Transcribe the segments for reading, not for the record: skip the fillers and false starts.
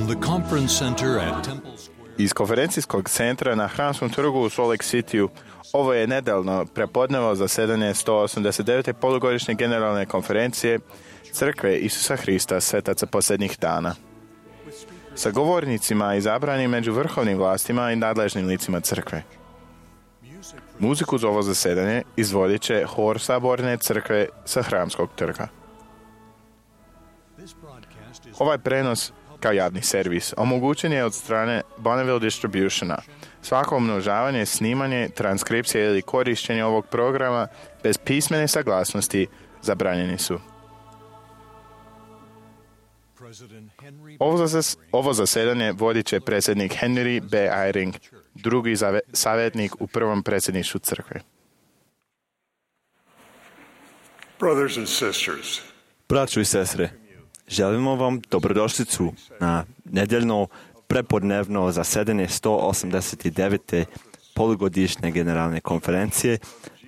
From the conference center at Temple Square. Iz konferencijskog centra na Hramskom trgu u Salt Lake Cityu ovo je nedeljno prepodnevo zasedanje 189. polugodišnje generalne konferencije Crkve Isusa Hrista svetaca posljednjih dana. Sa govornicima izabranim među vrhovnim vlastima i nadležnim licima crkve. Muziku za ovo zasedanje izvodit će hor Saborne crkve sa Hramskog trga. Ovaj prenos kao javni servis omogućen je od strane Bonneville Distributiona. Svako umnožavanje, snimanje, transkripcija ili korištenje ovog programa bez pismene saglasnosti zabranjeni su. Ovo zasedanje vodit će predsjednik Henry B. Eyring, drugi savjetnik u prvom predsjedništvu crkve. Brothers and sisters, Braćo i sestre, želimo vam dobrodošlicu na nedeljno prepodnevno zasedanje 189. polugodišnje generalne konferencije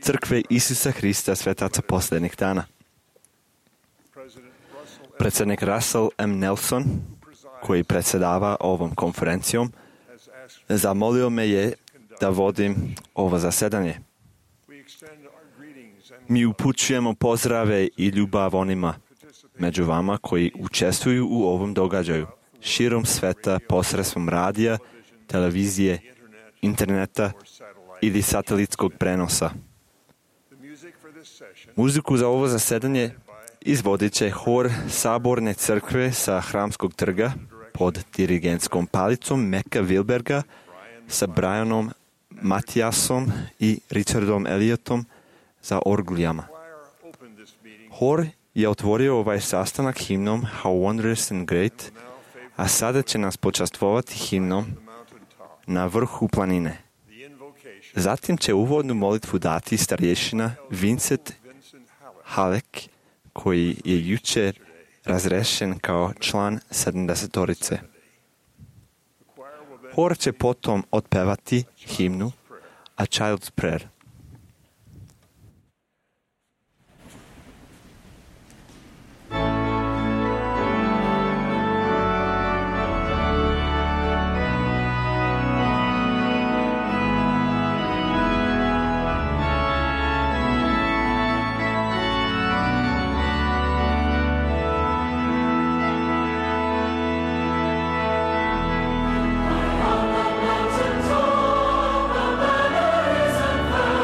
Crkve Isusa Hrista svetaca posljednjih dana. Predsjednik Russell M. Nelson, koji predsjedava ovom konferencijom, zamolio me je da vodim ovo zasedanje. Mi upućujemo pozdrave i ljubav onima među vama koji učestvuju u ovom događaju širom sveta posredstvom radija, televizije, interneta ili satelitskog prenosa. Muziku za ovo zasedanje izvodit će hor Saborne crkve sa Hramskog trga pod dirigentskom palicom Meka Wilberga sa Brianom Matiasom i Richardom Elliotom za orguljama. Hor je otvorio ovaj sastanak himnom How Wondrous and Great, a sada će nas počastvovati himnom Na vrhu planine. Zatim će uvodnu molitvu dati starješina Vincent Halleck, koji je jučer razrešen kao član 70-torice. Hor će potom otpevati himnu A Child's Prayer. Mountain top, the banner is unfurled.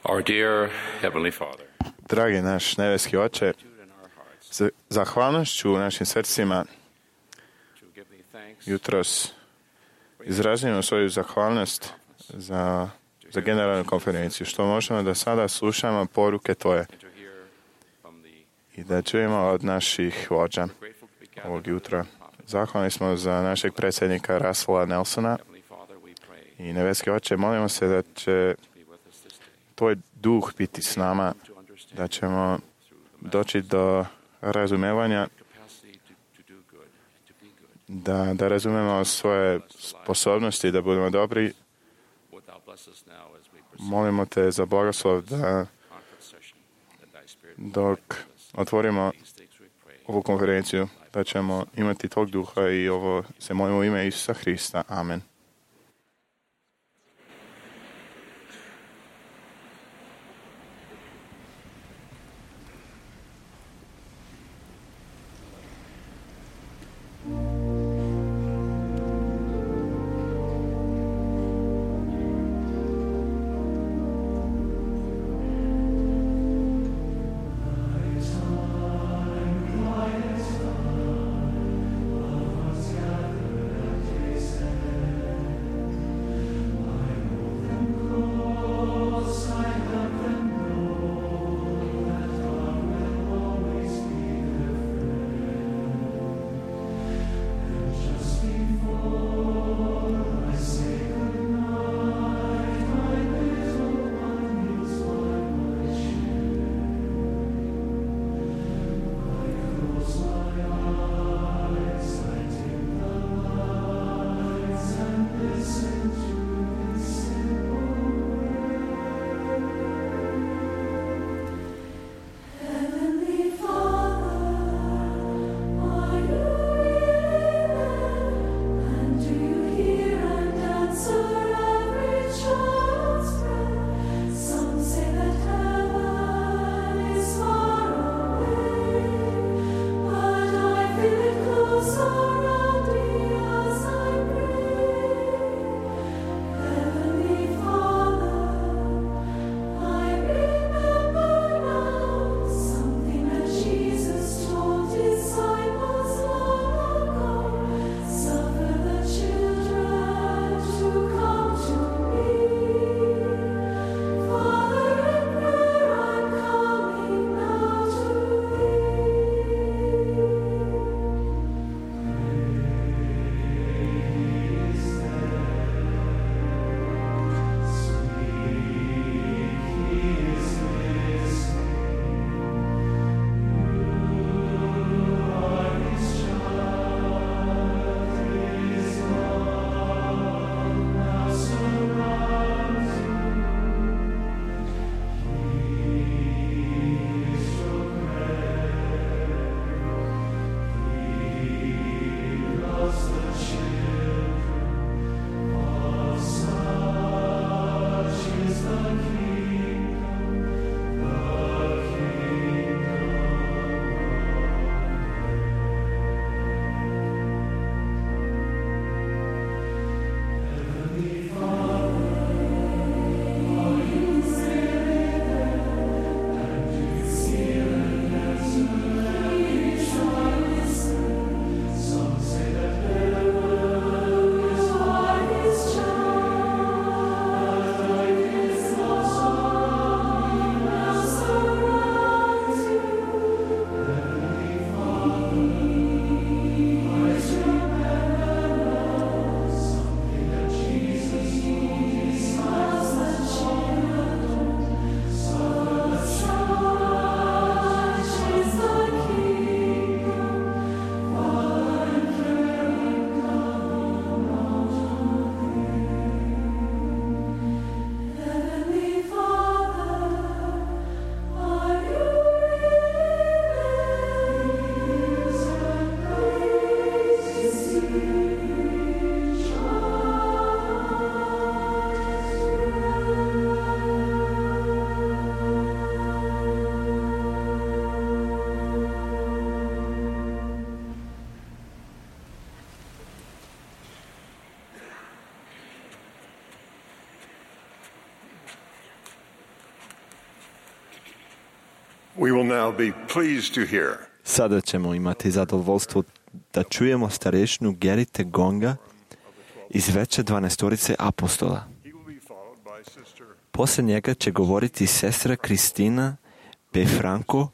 Our dear Heavenly Father, Dragi naš nebeski Oče, s zahvalnošću u našim srcima to give thee thanks jutros izražujemo svoju zahvalnost za generalnu konferenciju, što možemo da sada slušamo poruke Tvoje and to hear from the i da čujemo od naših vođa grateful to be gathered ovog under jutra. the prophet. Zahvalni smo za našeg predsjednika Russella Nelsona Heavenly Father, we pray i nebeski Oče, molimo se da će be with us this day Tvoj duh biti s nama, to understand da ćemo through the doći do razumevanja, capacity to do good and to be good. da razumemo svoje sposobnosti, da budemo dobri. Would thou bless us now as we proceed Molimo Te za blagoslov da conference session, that thy spirit will dok guide us. otvorimo These things we pray. ovu konferenciju, da ćemo imati tog duha i ovo se molimo u ime Isusa Hrista. Amen. We will now be pleased to hear Sada ćemo imati zadovoljstvo da čujemo starešinu Gerite Gonga iz veće 12 apostola. he will be followed by Sister Poslije njega će govoriti sestra Kristina P. Franco,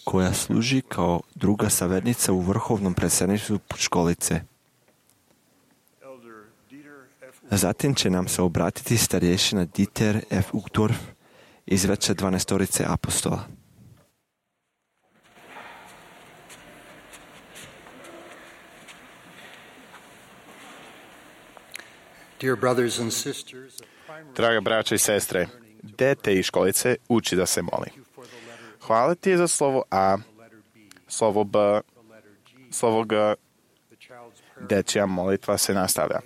koja služi kao druga savjetnica u vrhovnom predstavništvu školice. Elder Dieter F. Zatim će nam se obratiti starješina Dieter F. Uchtdorf iz veće 12 apostola. Dear brothers and sisters, Draga braća i sestre, dete iz školice uči da se moli. Hvala ti za slovo A, slovo B, slovo G, dečja molitva se nastavlja.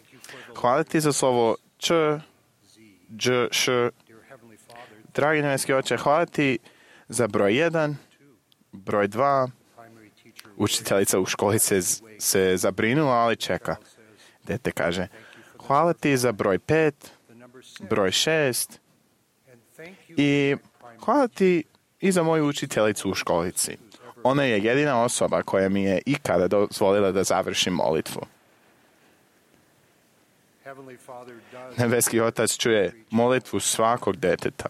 Hvala ti za slovo Č, Dž, Š. Dragi nebeski oče, hvala ti za broj 1, broj 2. Učiteljica u školici se zabrinula, ali čeka. Dete kaže, hvala ti za broj 5, broj 6 i hvala ti i za moju učiteljicu u školici. Ona je jedina osoba koja mi je ikada dozvolila da završim molitvu. Nebeski Otac čuje molitvu svakog deteta.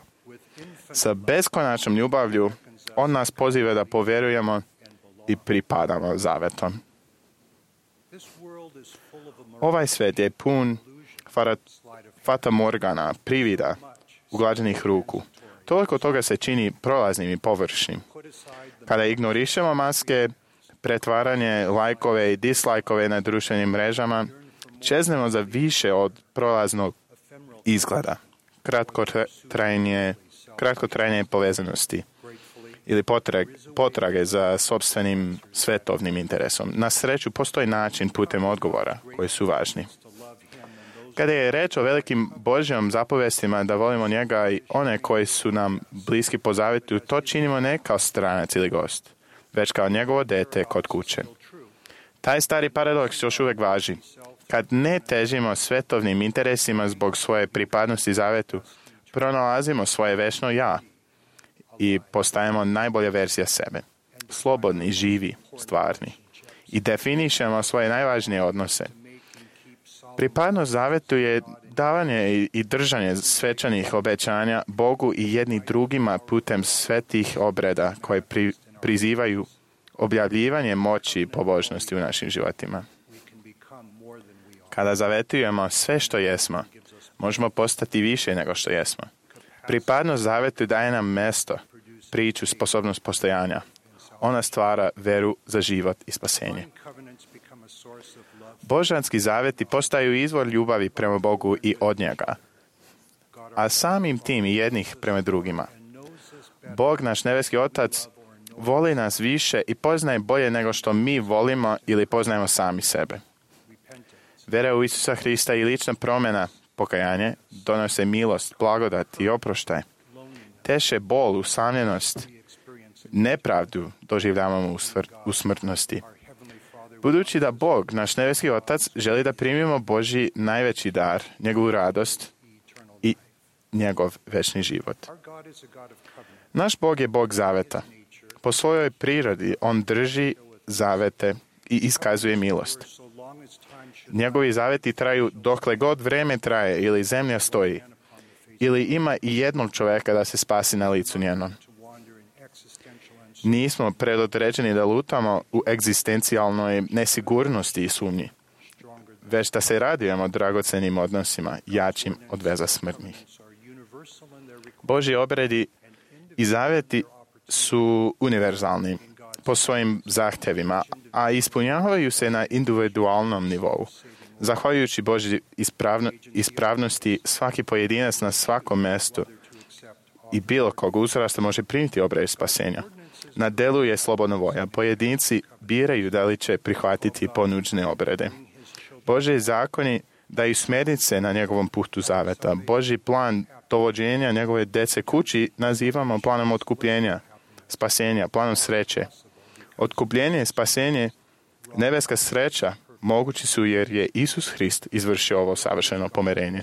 Sa beskonačnom ljubavlju on nas poziva da povjerujemo i pripadamo zavetom. Ovaj svet je pun fata morgana, privida, uglađenih ruku. Toliko toga se čini prolaznim i površnim. Kada ignorišemo maske, pretvaranje, lajkove i dislajkove na društvenim mrežama, čeznemo za više od prolaznog izgleda, kratkotrajne povezanosti ili potrage za sopstvenim svetovnim interesom. Na sreću postoji način putem odgovora koji su važni. Kada je reč o velikim Božjom zapovestima da volimo njega i one koji su nam bliski po zavetu, to činimo ne kao stranac ili gost, već kao njegovo dete kod kuće. Taj stari paradoks još uvijek važi. Kad ne težimo svetovnim interesima zbog svoje pripadnosti zavetu, pronalazimo svoje večno ja i postajemo najbolja verzija sebe. Slobodni, živi, stvarni. I definišemo svoje najvažnije odnose. Pripadnost zavetu je davanje i držanje svečanih obećanja Bogu i jedni drugima putem svetih obreda koje prizivaju objavljivanje moći i pobožnosti u našim životima. Kada zavetujemo sve što jesmo, možemo postati više nego što jesmo. Pripadnost zavetu daje nam mesto, priču, sposobnost postojanja. Ona stvara veru za život i spasenje. Božanski zaveti postaju izvor ljubavi prema Bogu i od njega, a samim tim i jednih prema drugima. Bog, naš nebeski Otac, voli nas više i poznaje bolje nego što mi volimo ili poznajemo sami sebe. Vera u Isusa Hrista i lična promjena, pokajanje, donose milost, blagodat i oproštaj. Teše bol, usamljenost, nepravdu doživljavamo u smrtnosti. Budući da Bog, naš nebeski Otac, želi da primimo Božji najveći dar, njegovu radost i njegov večni život. Naš Bog je Bog zaveta. Po svojoj prirodi on drži zavete i iskazuje milost. Njegovi zaveti traju dokle god vreme traje ili zemlja stoji, ili ima i jednog čovjeka da se spasi na licu njenom. Nismo predodređeni da lutamo u egzistencijalnoj nesigurnosti i sumnji, već da se radujemo dragocenim odnosima, jačim od veza smrtnih. Božji obredi i zaveti su univerzalni po svojim zahtjevima, a ispunjavaju se na individualnom nivou. Zahvaljujući Božji ispravnosti, svaki pojedinac na svakom mjestu i bilo kog uzrasta može primiti obred spasenja. Na delu je slobodna volja. Pojedinci biraju da li će prihvatiti ponuđene obrede. Božji zakoni daju smjernice na njegovom putu zaveta. Božji plan dovođenja njegove dece kući nazivamo planom otkupljenja, spasenja, planom sreće. Otkupljenje i spasenje, nebeska sreća, mogući su jer je Isus Hrist izvršio ovo savršeno pomirenje.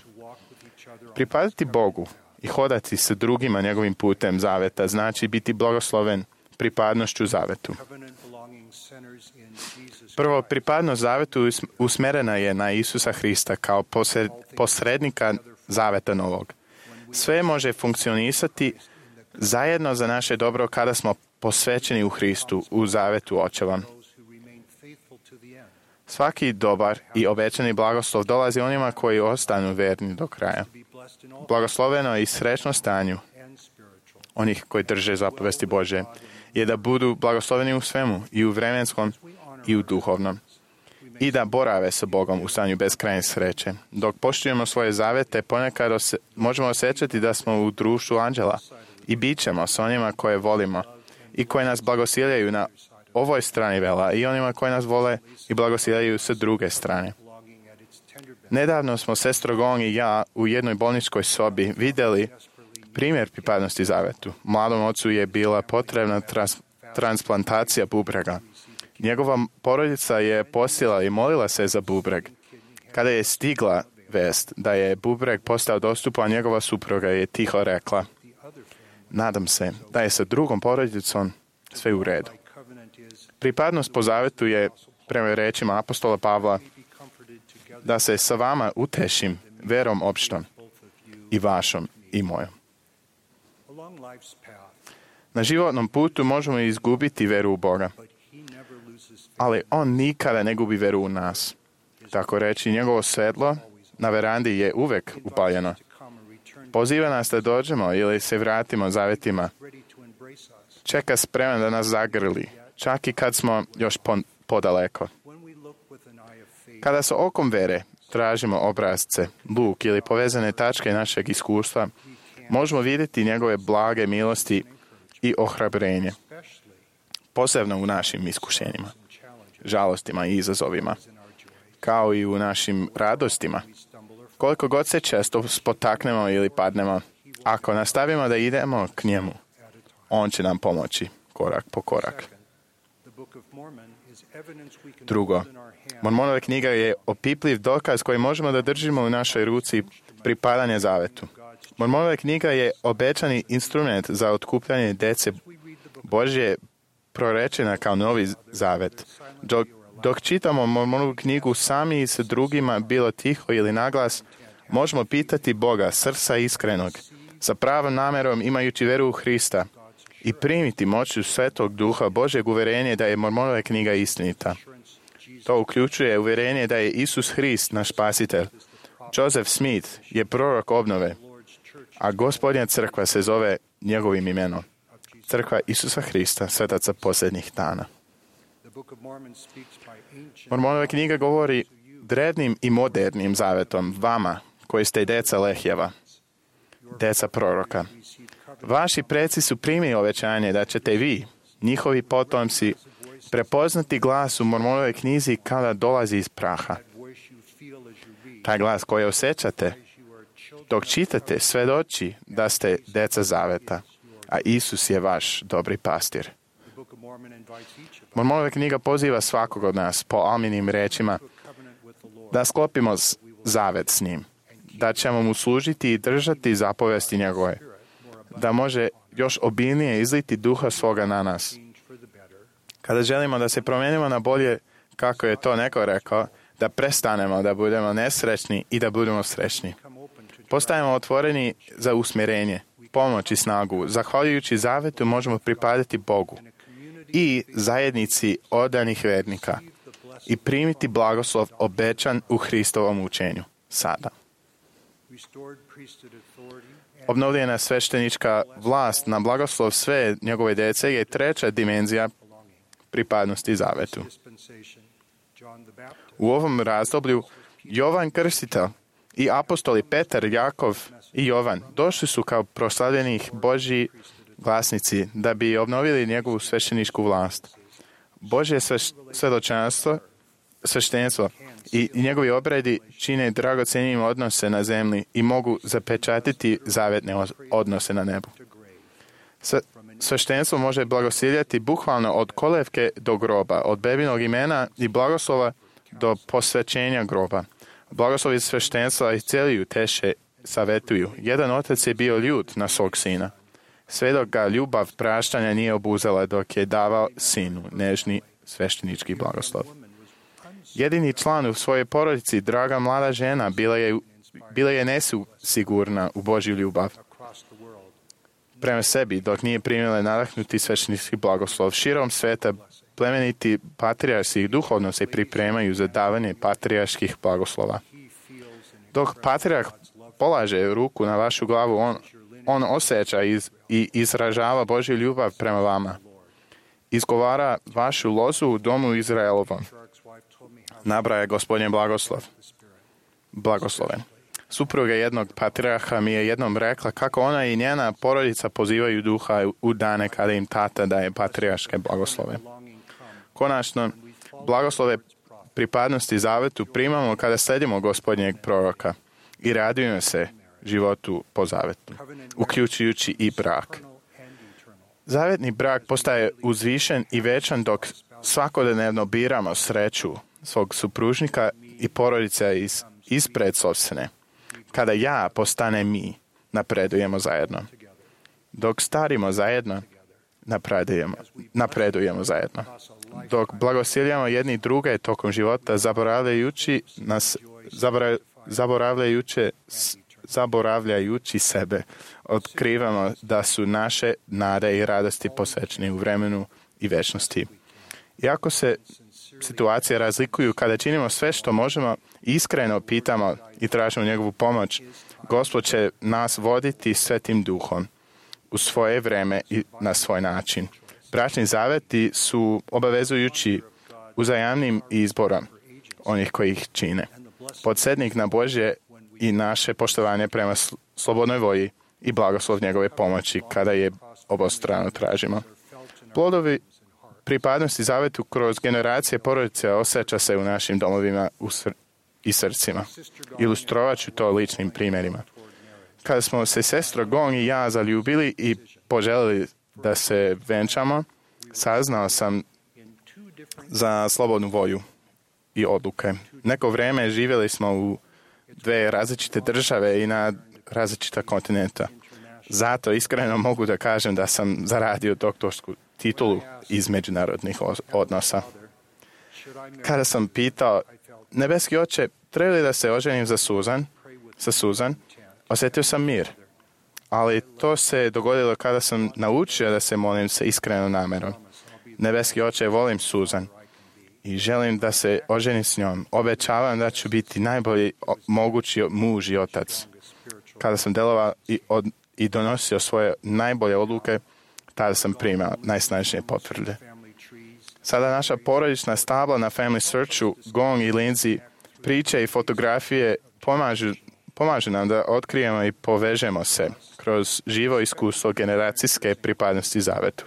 Pripadati Bogu i hodati sa drugima njegovim putem zaveta znači biti blagosloven, pripadnošću zavetu. Covenant belonging centers in Jesus Prvo, Christ. pripadnost zavetu usmerena je na Isusa Hrista kao posrednika zaveta novog. Sve može funkcionisati zajedno za naše dobro kada smo posvećeni u Hristu, u zavetu Očeva. Those who remain faithful to the end. Svaki dobar i obećani blagoslov dolazi onima koji ostanu verni do kraja. Be blessed in all Blagosloveno i srećno stanju and spiritual. onih koji drže zapovesti Božje je da budu blagosloveni u svemu, i u vremenskom i u duhovnom, i da borave sa Bogom u stanju beskrajne sreće. Dok poštujemo svoje zavete, ponekad možemo osjećati da smo u društvu anđela i bit ćemo s onima koje volimo i koji nas blagosiljaju na ovoj strani vela i onima koji nas vole i blagosiljaju sa druge strane. Belonging at its tender benefit. Nedavno smo sestro Gong i ja u jednoj bolničkoj sobi vidjeli primjer pripadnosti zavetu. Mladom ocu je bila potrebna transplantacija bubrega. Njegova porodica je posila i molila se za bubreg. Kada je stigla vest da je bubreg postao dostupan, njegova supruga je tiho rekla: nadam se da je sa drugom porodicom sve u redu. Covenant is Pripadnost po zavetu je, prema rečima apostola Pavla, be comforted together da se sa vama utešim verom opštom, both of you. i vašom i mojom. Along life's path, Na životnom putu možemo izgubiti veru u Boga, but he never loses faith. ali on nikada ne gubi veru u nas. Tako reći, njegovo svetlo na verandi je uvek upaljeno. To come and return Poziva nas da dođemo ili se vratimo zavetima. ready to embrace us. Čeka spreman da nas zagrli, čak i kad smo još podaleko. When we look with an eye of faith, Kada sa okom vere tražimo obrazce, luk ili povezane tačke našeg iskustva, možemo vidjeti njegove blage milosti i ohrabrenje, especially posebno u našim iskušenjima, in challenges žalostima i izazovima, in our joy, kao i u našim radostima. we stumble or fall. Koliko god se često spotaknemo ili padnemo, ako nastavimo da idemo k njemu, on će nam pomoći korak po korak. Second, the Book of Mormon is evidence we can Drugo, hold in our hand. Mormonova knjiga je opipljiv dokaz koji možemo da držimo u našoj ruci pripadanje zavetu. Mormonova knjiga je obećani instrument za otkupljanje dece We read the book Božje, prorečena kao novi zavet. Dok čitamo Mormonovu knjigu sami i sa drugima, bilo tiho ili naglas, možemo pitati Boga srca iskrenog, sa pravom namerom imajući veru u Hrista, i primiti moću Svetog Duha Božjeg uverenje da je Mormonova knjiga istinita. To uključuje uverenje da je Isus Hrist naš spasitelj. Joseph Smith je prorok obnove, a Gospodnja crkva se zove njegovim imenom. Crkva Isusa Hrista, svetaca posljednjih dana. The Book of Mormon speaks by ancient Mormonova knjiga govori drevnim i modernim zavetom vama, koji ste deca Lehjeva, deca proroka. Vaši preci su primili obećanje da ćete vi, njihovi potomci, prepoznati glas u Mormonovoj knjizi kada dolazi iz praha. voice you feel as you read, Taj glas koji osjećate as you are children. dok čitate svedoči da ste deca zaveta, a Isus je vaš dobri pastir. The Book of Mormon invites each of us Mormonova knjiga poziva svakog od nas po Alminim rečima to a covenant with the Lord. da sklopimo zavet s njim, da ćemo mu služiti i držati zapovesti njegove, da može još obilnije izliti duha svoga na nas. Change for the better. Kada želimo da se promijenimo na bolje, kako je to neko rekao, da prestanemo da budemo nesrećni i da budemo srećni. Come open to Postajemo otvoreni za usmjerenje, pomoć i snagu. Zahvaljujući zavetu možemo pripadati Bogu i zajednici odanih vernika i primiti blagoslov obećan u Hristovom učenju sada. restored priesthood authority and Obnovljena sveštenička vlast na blagoslov sve njegove djece je treća dimenzija pripadnosti zavetu. dispensation. John the Baptist U ovom razdoblju Jovan Krstitelj i apostoli Petar, Jakov i Jovan došli su kao proslavljenih Božji glasnici da bi obnovili njegovu svešteničku vlast. Božje sveštenstvo i njegovi obredi čine dragocenijim odnose na zemlji i mogu zapečatiti zavetne odnose na nebu. Sveštenstvo može blagosiljati bukvalno od kolevke do groba, od bebinog imena i blagoslova do posvećenja groba. Blagoslovi sveštenstva isceljuju, teše, savetuju. Jedan otac je bio ljut na svog sina. sve dok ga ljubav praštanja nije obuzela dok je davao sinu nežni sveštenički blagoslov. Jedini član u svojoj porodici, draga mlada žena, bila je nesigurna u Božju ljubav prema sebi, dok nije primila nadahnuti sveštenički blagoslov. Širom sveta plemeniti patrijarsi duhovno se pripremaju za davanje patrijarških blagoslova. Dok patrijarh polaže ruku na vašu glavu, on osjeća i izražava Božju ljubav prema vama. Izgovara vašu lozu u domu Izraelovom. Nabraja Gospodin blagosloven. Supruga jednog patrijarha mi je jednom rekla kako ona i njena porodica pozivaju duha u dane kada im tata daje patrijarške blagoslove. Konačno, blagoslove pripadnosti zavetu primamo kada sledimo Gospodnjeg proroka i radujemo se životu po zavetu, uključujući i brak. Zavetni brak postaje uzvišen i večan dok svakodnevno biramo sreću svog supružnika i porodice ispred sopstvene. Kada ja postane mi, napredujemo zajedno. Dok starimo zajedno, napredujemo zajedno. Dok blagosiljamo jedni druge tokom života, zaboravljajući sebe, otkrivamo da su naše nade i radosti posvećeni u vremenu i večnosti. Iako se situacije razlikuju, kada činimo sve što možemo, iskreno pitamo i tražimo njegovu pomoć, Gospod će nas voditi Svetim Duhom u svoje vreme i na svoj način. Bračni zaveti su obavezujući uzajamnim izborom onih koji ih čine. Podsjetnik na Božje i naše poštovanje prema slobodnoj volji i blagoslov njegove pomoći kada je obostrano tražimo. Plodovi pripadnosti zavetu kroz generacije porodice osjeća se u našim domovima i srcima. Ilustrovat ću to ličnim primjerima. Kada smo se sestra Gong i ja zaljubili i poželjeli da se venčamo, saznao sam za slobodnu volju i odluke. Neko vrijeme živjeli smo u dve različite države i na različita kontinenta. Zato iskreno mogu da kažem da sam zaradio doktorsku titulu iz međunarodnih odnosa. Kada sam pitao, nebeski oče, treba li da se oženim sa Suzan, osjetio sam mir. Ali to se dogodilo kada sam naučio da se molim sa iskrenom namerom. Nebeski oče, volim Suzan i želim da se oženim s njom. Obećavam da ću biti najbolji mogući muž i otac. Kada sam delovao i donosio svoje najbolje odluke, tada sam primao najsnažnije potvrde. Sada naša porodična stabla na Family Searchu, Gong i Lindsay, priče i fotografije pomažu nam da otkrijemo i povežemo se kroz živo iskustvo generacijske pripadnosti zavetu.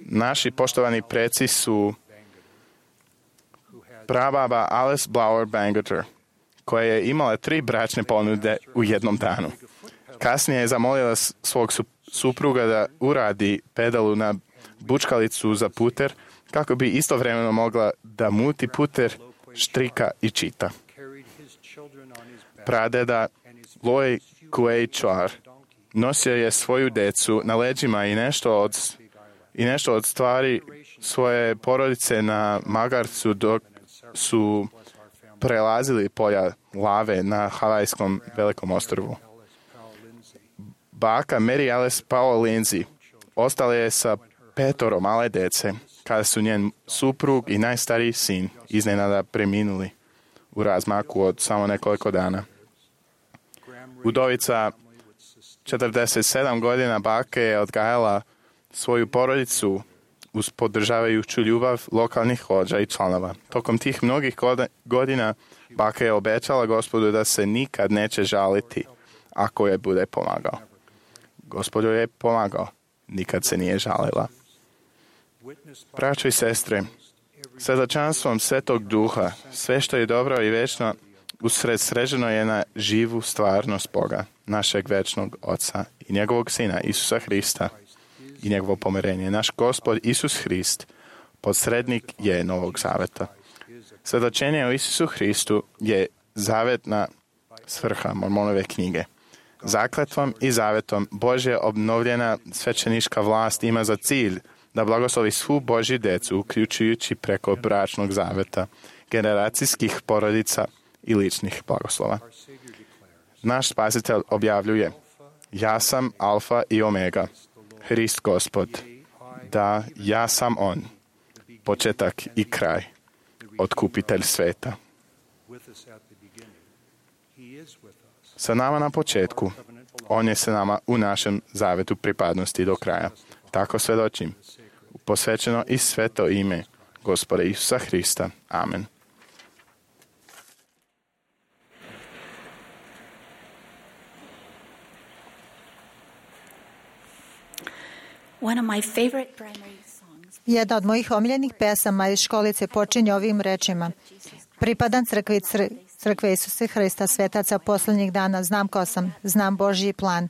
Naši poštovani preci su prababa Alice Blower Bangerter, koja je imala 3 bračne ponude u jednom danu. Kasnije je zamolila svog supruga da uradi pedalu na bučkalicu za puter, kako bi istovremeno mogla da muti puter, štrika i čita. Pradeda Loy Kuei Char nosio je svoju decu na leđima i nešto od stvari svoje porodice na magarcu dok su prelazili polja lave na Havajskom velikom ostrvu. Baka Mary Alice Powell Lindsay ostala je sa 5 male dece, kada su njen suprug i najstariji sin iznenada preminuli u razmaku od samo nekoliko dana. Udovica 47 godina bake je odgajala svoju porodicu uz podržavajuću ljubav lokalnih vođa i članova. Tokom tih mnogih godina baka je obećala Gospodu da se nikad neće žaliti ako je bude pomagao. Gospod joj je pomagao, nikad se nije žalila. Braćo i sestre, svjedočanstvom Svetog Duha, sve što je dobro i večno usredsređeno je na živu stvarnost Boga, našeg večnog Oca i njegovog Sina, Isusa Hrista i njegovo pomirenje. Naš Gospod Isus Hrist, posrednik je Novog Zaveta. Svjedočenje o Isusu Hristu je zavetna svrha Mormonove knjige. Zakletvom i zavetom Božja obnovljena svećenička vlast ima za cilj da blagoslovi svu Božju decu, uključujući preko bračnog zaveta, generacijskih porodica i ličnih blagoslova. Naš Spasitelj objavljuje: ja sam Alfa i Omega, Hrist Gospod, da ja sam On, početak i kraj, otkupitelj sveta. Sa nama na početku, On je sa nama u našem zavetu pripadnosti do kraja. Tako svedočim. Posvećeno i sveto ime Gospoda Isusa Hrista. Amen. Jedna od mojih omiljenih pesama iz školice počinje ovim rečima: pripadam crkve Isusa Hrista, svetaca posljednjih dana, znam ko sam, znam Božji plan,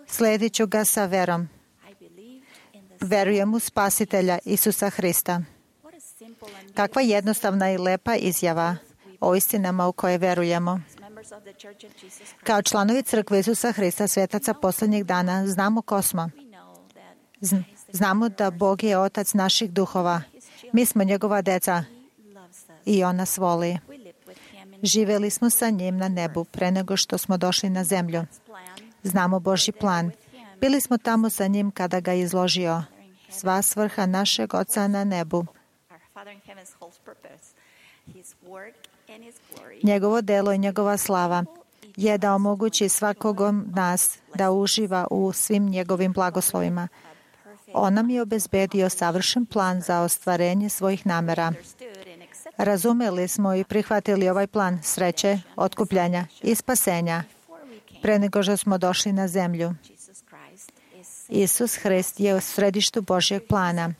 sledit ću ga sa verom. Verujem u Spasitelja Isusa Hrista. Kakva jednostavna i lepa izjava o istinama u koje verujemo. Kao članovi crkve Isusa Hrista, svetaca posljednjih dana, znamo ko smo. Znamo da Bog je Otac naših duhova. Mi smo njegova deca i On nas voli. Živjeli smo sa njim na nebu pre nego što smo došli na zemlju. Znamo Božji plan. Bili smo tamo sa njim kada ga je izložio. Sva svrha našeg Oca na nebu. Njegovo delo i njegova slava je da omogući svakog nas da uživa u svim njegovim blagoslovima. On nam je obezbedio savršen plan za ostvarenje svojih namera. Razumeli smo i prihvatili ovaj plan sreće, otkupljanja i spasenja pre nego što smo došli na zemlju. Isus Hrist je u središtu Božjeg plana.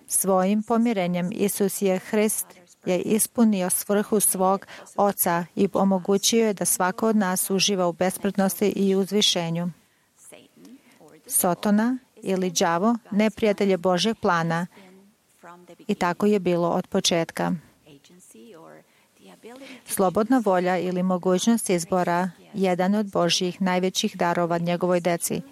Svojim pomirenjem Isus Hrist je ispunio svrhu svog Oca i omogućio je da svako od nas uživa u besmrtnosti i uzvišenju. Sotona ili đavo neprijatelj je Božjeg plana i tako je bilo od početka. Slobodna volja ili mogućnost izbora jedan od Božjih najvećih darova njegovoj deci.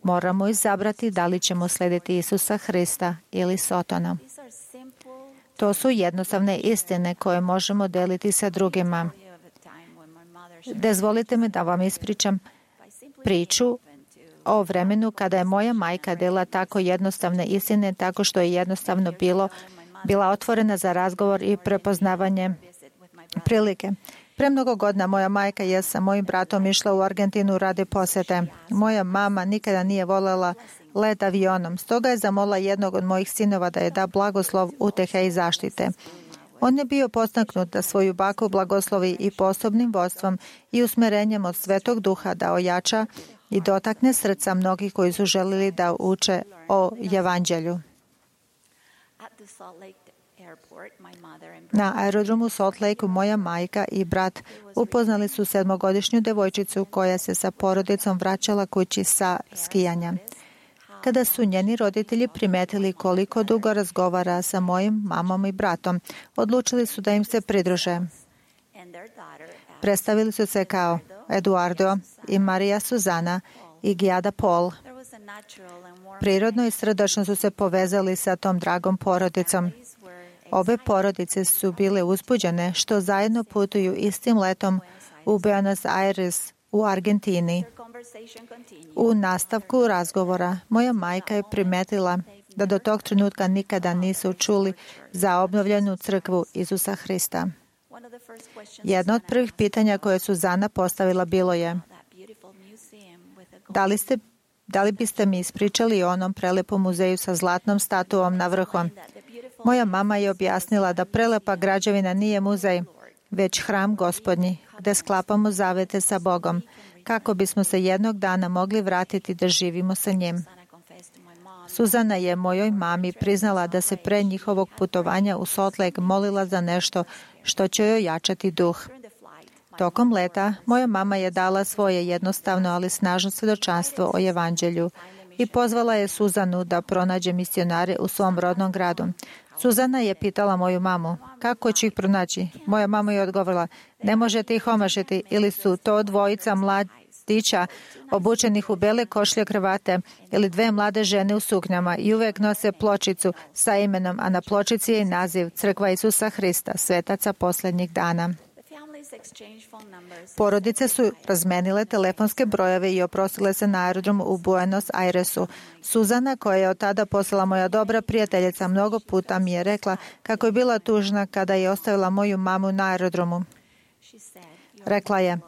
Moramo izabrati da li ćemo slediti Isusa Hrista ili Sotona. To su jednostavne istine koje možemo deliti sa drugima. Dozvolite mi da vam ispričam priču o vremenu kada je moja majka delila tako jednostavne istine, tako što je jednostavno bila otvorena za razgovor i prepoznavanje prilike. Pre mnogo godina moja majka je sa mojim bratom išla u Argentinu radi posete. Moja mama nikada nije voljela let avionom, stoga je zamolila jednog od mojih sinova da je da blagoslov, utehe i zaštite. On je bio podstaknut da svoju baku blagoslovi i posebnim vodstvom i usmerenjem od Svetog Duha da ojača i dotakne srca mnogih koji su želili da uče o Evanđelju. Na aerodromu Salt Lakeu moja majka i brat upoznali su 7-godišnju devojčicu koja se sa porodicom vraćala kući sa skijanja. Kada su njeni roditelji primetili koliko dugo razgovara sa mojim mamom i bratom, odlučili su da im se pridruže. Predstavili su se kao Eduardo i Marija Suzana i Giada Paul. Prirodno i srdačno su se povezali sa tom dragom porodicom. Obe porodice su bile uzbuđene što zajedno putuju istim letom u Buenos Aires u Argentini. U nastavku razgovora moja majka je primetila da do tog trenutka nikada nisu čuli za obnovljenu crkvu Isusa Hrista. Jedno od prvih pitanja koje Suzana postavila bilo je: da li biste mi ispričali o onom prelepom muzeju sa zlatnom statuom na vrhu? Moja mama je objasnila da prelepa građevina nije muzej, već hram Gospodnji, gde sklapamo zavete sa Bogom, kako bismo se jednog dana mogli vratiti da živimo sa njim. Suzana je mojoj mami priznala da se pre njihovog putovanja u Salt Lake molila za nešto što će joj jačati duh. Tokom leta moja mama je dala svoje jednostavno, ali snažno svjedočanstvo o Evanđelju i pozvala je Suzanu da pronađe misionare u svom rodnom gradu. Suzana je pitala moju mamu: kako ću ih pronaći? Moja mama je odgovorila: ne možete ih omašiti, ili su to dvojica mladića obučenih u bele košlje kravate ili 2 mlade žene u suknjama i uvek nose pločicu sa imenom, a na pločici je i naziv Crkva Isusa Hrista, svetaca posljednjih dana. Porodice su razmenile telefonske brojeve i oprostile se na aerodromu u Buenos Airesu. Suzana, koja je od tada postala moja dobra prijateljica, mnogo puta mi je rekla kako je bila tužna kada je ostavila moju mamu na aerodromu. Rekla je,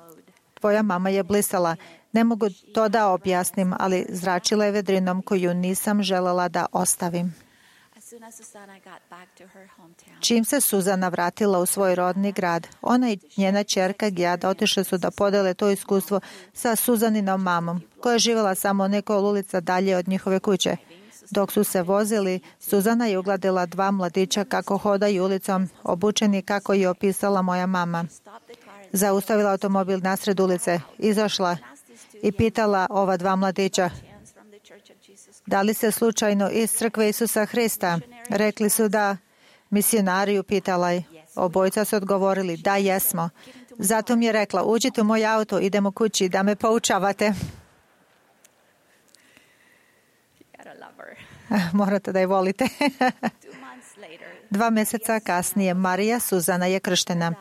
tvoja mama je blisala. Ne mogu to da objasnim, ali zračila je vedrinom koju nisam želela da ostavim. Čim se Suzana vratila u svoj rodni grad, ona i njena ćerka Gjada otišle su da podele to iskustvo sa Suzaninom mamom, koja je živjela samo nekoliko ulica dalje od njihove kuće. Dok su se vozili, Suzana je ugledala 2 mladića kako hodaju ulicom, obučeni kako je opisala moja mama. Zaustavila automobil nasred ulice, izašla i pitala ova 2 mladića, da li se slučajno iz Crkve Isusa Hrista? Rekli su da. Misionari upitala je. Obojica su odgovorili, da, jesmo. Zato mi je rekla, uđite u moj auto, idemo kući da me poučavate. Morate da je volite. 2 mjeseca kasnije Marija Suzana je krštena.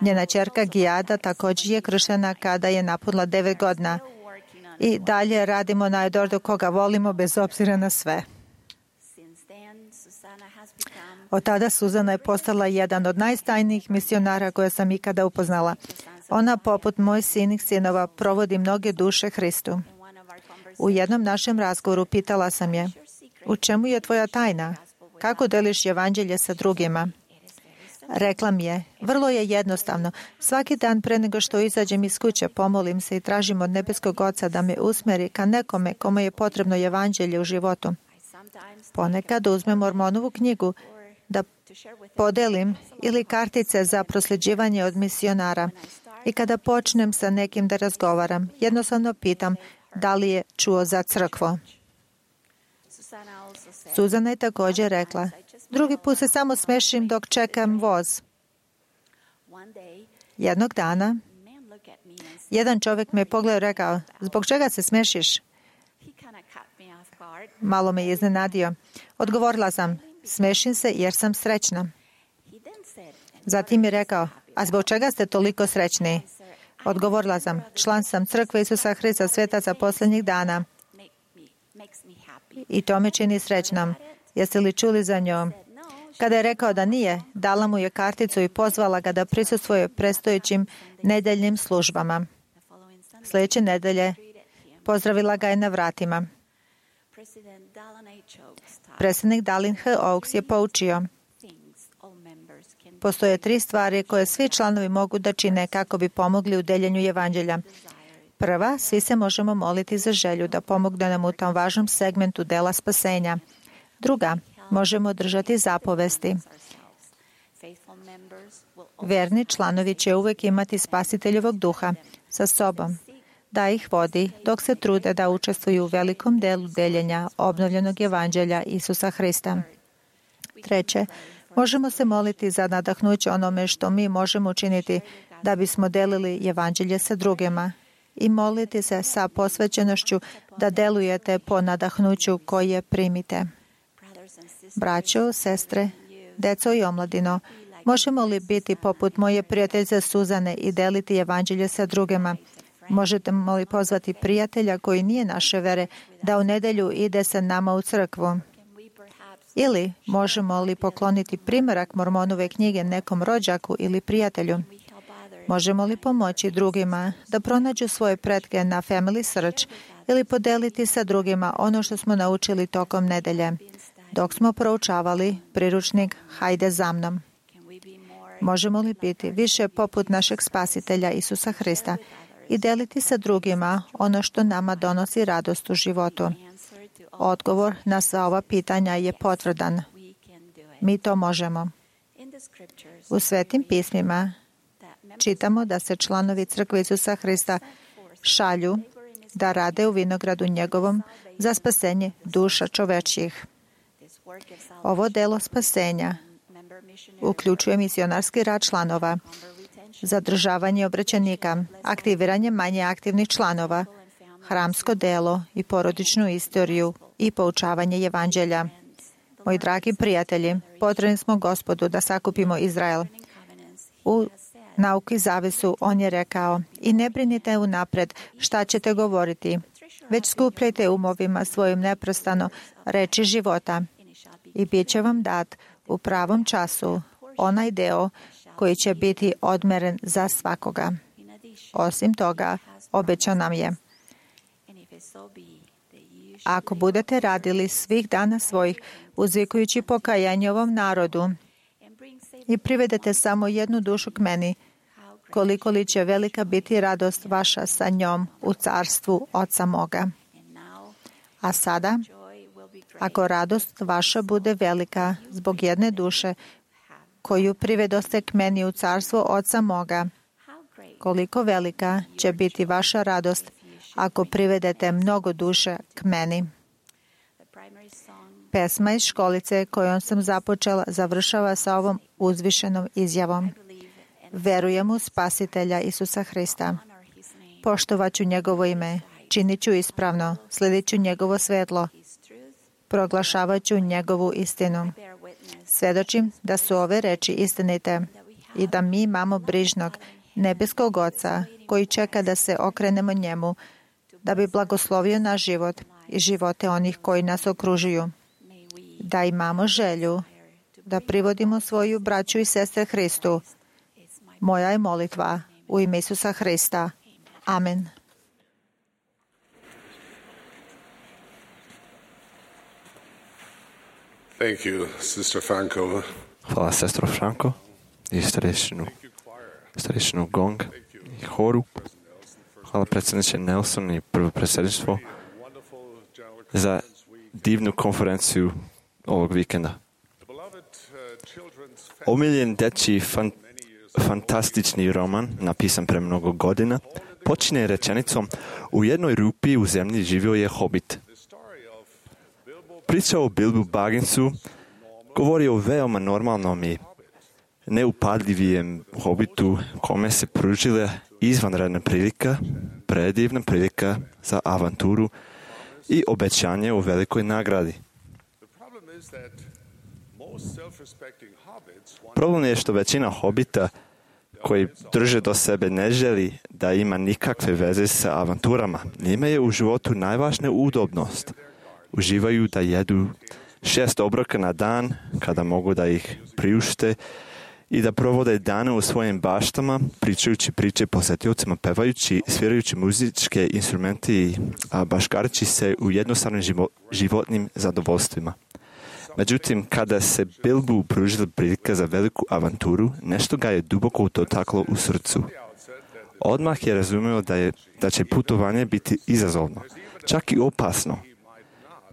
Njena ćerka Gjada također je krštena kada je napunila 9 godina. I dalje radimo na Edordu koga volimo bez obzira na sve. Od tada Suzana je postala jedan od najstajnijih misionara koje sam ikada upoznala. Ona, poput mojih sinih sinova, provodi mnoge duše Hristu. U jednom našem razgovoru pitala sam je, u čemu je tvoja tajna? Kako deliš evanđelje sa drugima? Rekla mi je, vrlo je jednostavno. Svaki dan pre nego što izađem iz kuće, pomolim se i tražim od nebeskog Oca da me usmeri ka nekome kome je potrebno evanđelje u životu. Ponekad uzmem Mormonovu knjigu da podelim ili kartice za prosljeđivanje od misionara. I kada počnem sa nekim da razgovaram, jednostavno pitam da li je čuo za crkvu. Suzana je također rekla, drugi put se samo smešim dok čekam voz. Jednog dana, jedan čovjek me je pogledao i rekao, zbog čega se smešiš? Malo me je iznenadio. Odgovorila sam, smešim se jer sam srećna. Zatim je rekao, a zbog čega ste toliko srećni? Odgovorila sam, član sam Crkve Isusa Hrista, svetaca posljednjih dana. I to me čini srećnom. Jeste li čuli za njom? Kada je rekao da nije, dala mu je karticu i pozvala ga da prisustvuje predstojećim nedeljnim službama. Sljedeće nedelje pozdravila ga je na vratima. Predsjednik Dallin H. Oaks je poučio. Postoje 3 stvari koje svi članovi mogu da čine kako bi pomogli u deljenju evanđelja. Prva, svi se možemo moliti za želju da pomogne nam u tom važnom segmentu dela spasenja. Druga, možemo držati zapovesti. Verni članovi će uvijek imati Spasiteljevog duha sa sobom, da ih vodi dok se trude da učestvuju u velikom delu deljenja obnovljenog evanđelja Isusa Hrista. Treće, možemo se moliti za nadahnuće onome što mi možemo učiniti da bismo delili evanđelje sa drugima i moliti se sa posvećenošću da delujete po nadahnuću koje primite. Braćo, sestre, deco i omladino, možemo li biti poput moje prijateljice Suzane i deliti evanđelje sa drugima? Možete li pozvati prijatelja koji nije naše vere da u nedjelju ide sa nama u crkvu? Ili možemo li pokloniti primjerak Mormonove knjige nekom rođaku ili prijatelju? Možemo li pomoći drugima da pronađu svoje pretke na Family Search ili podeliti sa drugima ono što smo naučili tokom nedelje, dok smo proučavali priručnik Hajde za mnom? Možemo li biti više poput našeg Spasitelja Isusa Hrista i deliti sa drugima ono što nama donosi radost u životu? Odgovor na sva ova pitanja je potvrdan. Mi to možemo. U Svetim pismima čitamo da se članovi Crkve Isusa Hrista šalju da rade u vinogradu njegovom za spasenje duša čovečjih. Ovo delo spasenja uključuje misionarski rad članova zadržavanje obraćenika, aktiviranje manje aktivnih članova, hramsko delo i porodičnu istoriju i poučavanje evanđelja. Moji dragi prijatelji, potrebni smo Gospodu da sakupimo Izrael. U nauki zavesu on je rekao: i ne brinite unapred šta ćete govoriti, već skupljajte umovima svojim neprestano reči života i bit će vam dat u pravom času onaj deo koji će biti odmeren za svakoga. Osim toga, obećao nam je: ako budete radili svih dana svojih, uzvikujući pokajanje ovom narodu i privedete samo jednu dušu k meni, koliko li će velika biti radost vaša sa njom u carstvu Oca moga. A sada, ako radost vaša bude velika zbog jedne duše koju privedoste k meni u carstvo Oca moga, koliko velika će biti vaša radost ako privedete mnogo duše k meni. Pesma iz školice kojom sam započela završava sa ovom uzvišenom izjavom: verujem u Spasitelja Isusa Hrista. Poštovaću njegovo ime, činit ću ispravno, sledit ću njegovo svetlo, proglašavat ću njegovu istinu. Svedočim da su ove reči istinite i da mi imamo brižnog nebeskog Oca koji čeka da se okrenemo njemu, da bi blagoslovio naš život i živote onih koji nas okružuju. Da imamo želju da privodimo svoju braću i sestre Hristu. Moja je molitva u ime Isusa Hrista. Amen. Thank you, Sister Franco. Hvala, sestro Franco i starešinu Gong i horu. Hvala predsjedniče Nelson i prvo predsjedništvo za divnu konferenciju ovog vikenda. Omiljen dečji fantastični roman, napisan pre mnogo godina, počinje rečenicom: u jednoj rupi u zemlji živio je hobit. Priča o Bilbu Bagginsu govori o veoma normalnom i neupadljivijem hobitu kome se pružila izvanredna prilika, predivna prilika za avanturu i obećanje o velikoj nagradi. Problem je što većina hobita koji drže do sebe ne želi da ima nikakve veze sa avanturama. Njima je u životu najvažnija udobnost. Uživaju da jedu 6 obroka na dan kada mogu da ih priušte i da provode dane u svojim baštama, pričajući priče posetiocima, pevajući, svirajući muzičke instrumente i baškarići se u jednostavnim životnim zadovoljstvima. Međutim, kada se Bilbu pružila prilika za veliku avanturu, nešto ga je duboko dotaklo u srcu. Odmah je razumio da će putovanje biti izazovno, čak i opasno.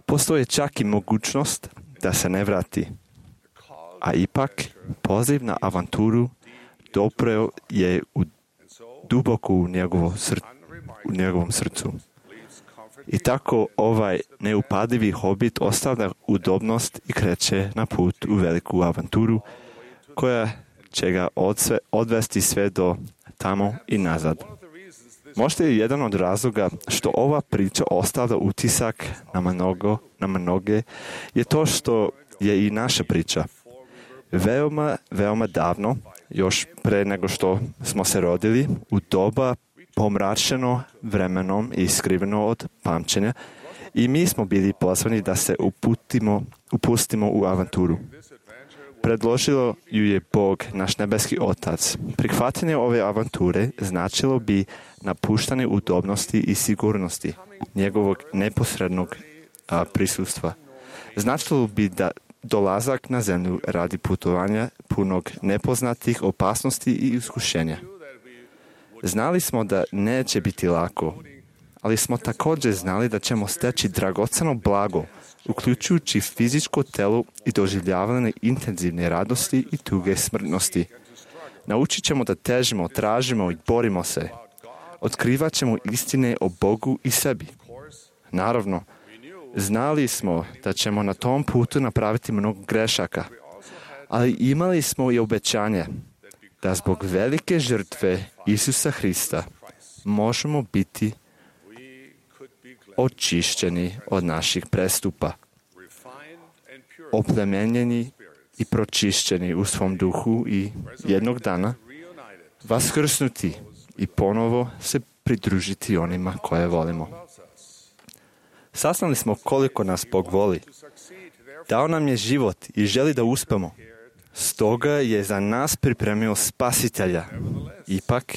Postoji čak i mogućnost da se ne vrati. A ipak, poziv na avanturu dopreo je duboko u njegovom srcu. I tako ovaj neupadljivi hobit ostavlja udobnost i kreće na put u veliku avanturu koja će ga odvesti sve do tamo i nazad. Možda je jedan od razloga što ova priča ostavlja utisak na mnoge je to što je i naša priča. Veoma davno, još pre nego što smo se rodili, u doba pomračeno vremenom i skriveno od pamćenja, i mi smo bili pozvani da se upustimo u avanturu. Predložilo ju je Bog, naš nebeski Otac. Prihvatanje ove avanture značilo bi napuštanje udobnosti i sigurnosti njegovog neposrednog prisustva. Značilo bi da dolazak na zemlju radi putovanja punog nepoznatih opasnosti i iskušenja. Znali smo da neće biti lako, ali smo također znali da ćemo steći dragoceno blago, uključujući fizičko telo i doživljavanje intenzivne radosti i tuge smrtnosti. Naučit ćemo da težimo, tražimo i borimo se. Otkrivat ćemo istine o Bogu i sebi. Naravno, znali smo da ćemo na tom putu napraviti mnogo grešaka, ali imali smo i obećanje da zbog velike žrtve Isusa Hrista možemo biti očišćeni od naših prestupa, oplemenjeni i pročišćeni u svom duhu i jednog dana vaskrsnuti i ponovo se pridružiti onima koje volimo. Saznali smo koliko nas Bog voli. Dao nam je život i želi da uspemo. Stoga je za nas pripremio spasitelja. Ipak,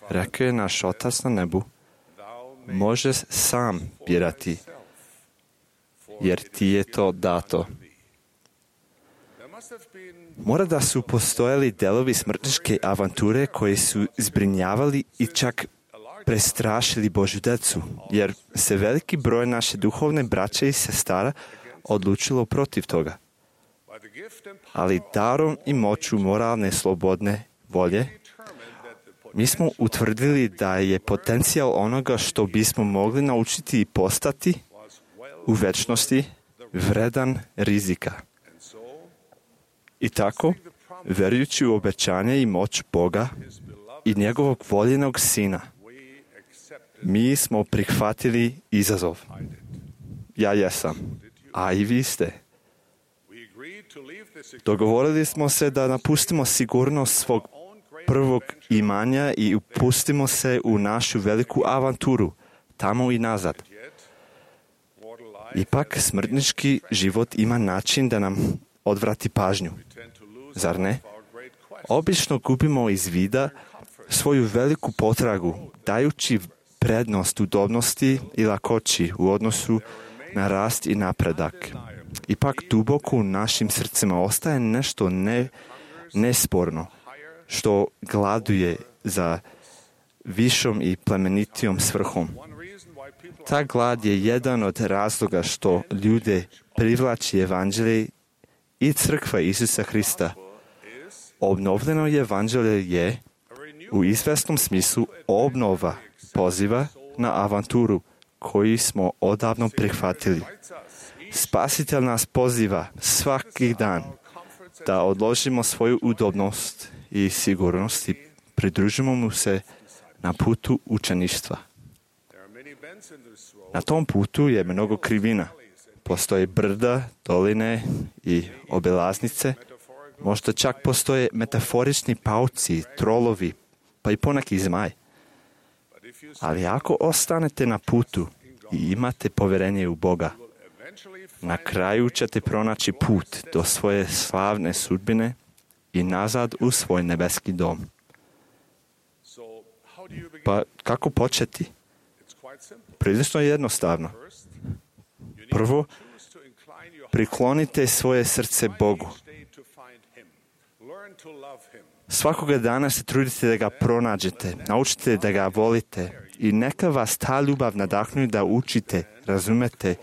rekao je naš Otac na nebu, možeš sam birati, jer ti je to dato. Mora da su postojali delovi smrtničke avanture koji su zbrinjavali i čak prestrašili Božju decu, jer se veliki broj naše duhovne braće i sestara odlučilo protiv toga. Ali darom i moću moralne slobodne volje, mi smo utvrdili da je potencijal onoga što bismo mogli naučiti i postati u večnosti vredan rizika. I tako, verujući u obećanje i moć Boga i njegovog voljenog Sina, mi smo prihvatili izazov. Ja jesam, a i vi ste. Dogovorili smo se da napustimo sigurnost svog prvog imanja i upustimo se u našu veliku avanturu, tamo i nazad. Ipak, smrtnički život ima način da nam odvrati pažnju. Zar ne? Obično gubimo iz vida svoju veliku potragu, dajući prednost udobnosti i lakoći u odnosu na rast i napredak. Ipak duboko u našim srcima ostaje nešto nesporno, što gladuje za višom i plemenitijom svrhom. Ta glad je jedan od razloga što ljude privlači evanđelje i crkva Isusa Hrista. Obnovljeno evanđelje je u izvesnom smislu obnova poziva na avanturu koju smo odavno prihvatili. Spasitelj nas poziva svaki dan da odložimo svoju udobnost i sigurnost i pridružimo mu se na putu učeništva. Na tom putu je mnogo krivina. Postoje brda, doline i obilaznice. Možda čak postoje metaforični pauci, trolovi, pa i poneki zmaj. Ali ako ostanete na putu i imate povjerenje u Boga, na kraju ćete pronaći put do svoje slavne sudbine i nazad u svoj nebeski dom. Pa kako početi? Prilično jednostavno. Prvo, priklonite svoje srce Bogu. Svakoga dana se trudite da ga pronađete, naučite da ga volite i neka vas ta ljubav nadahnuje da učite, razumete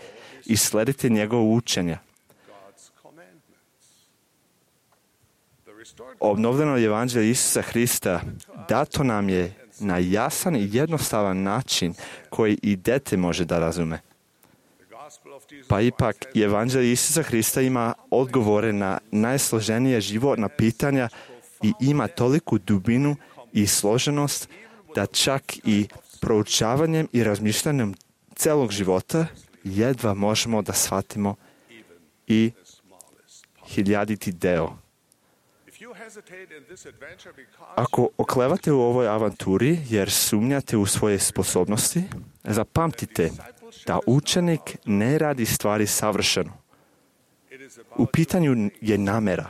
i sledite njegovo učenja. Obnovljeno evanđelje Isusa Hrista dato nam je na jasan i jednostavan način koji i dete može da razume. Pa ipak, evanđelje Isusa Hrista ima odgovore na najsloženije životna pitanja i ima toliku dubinu i složenost da čak i proučavanjem i razmišljanjem celog života jedva možemo da shvatimo i hiljaditi deo. Ako oklevate u ovoj avanturi jer sumnjate u svoje sposobnosti, zapamtite da učenik ne radi stvari savršeno. U pitanju je namera.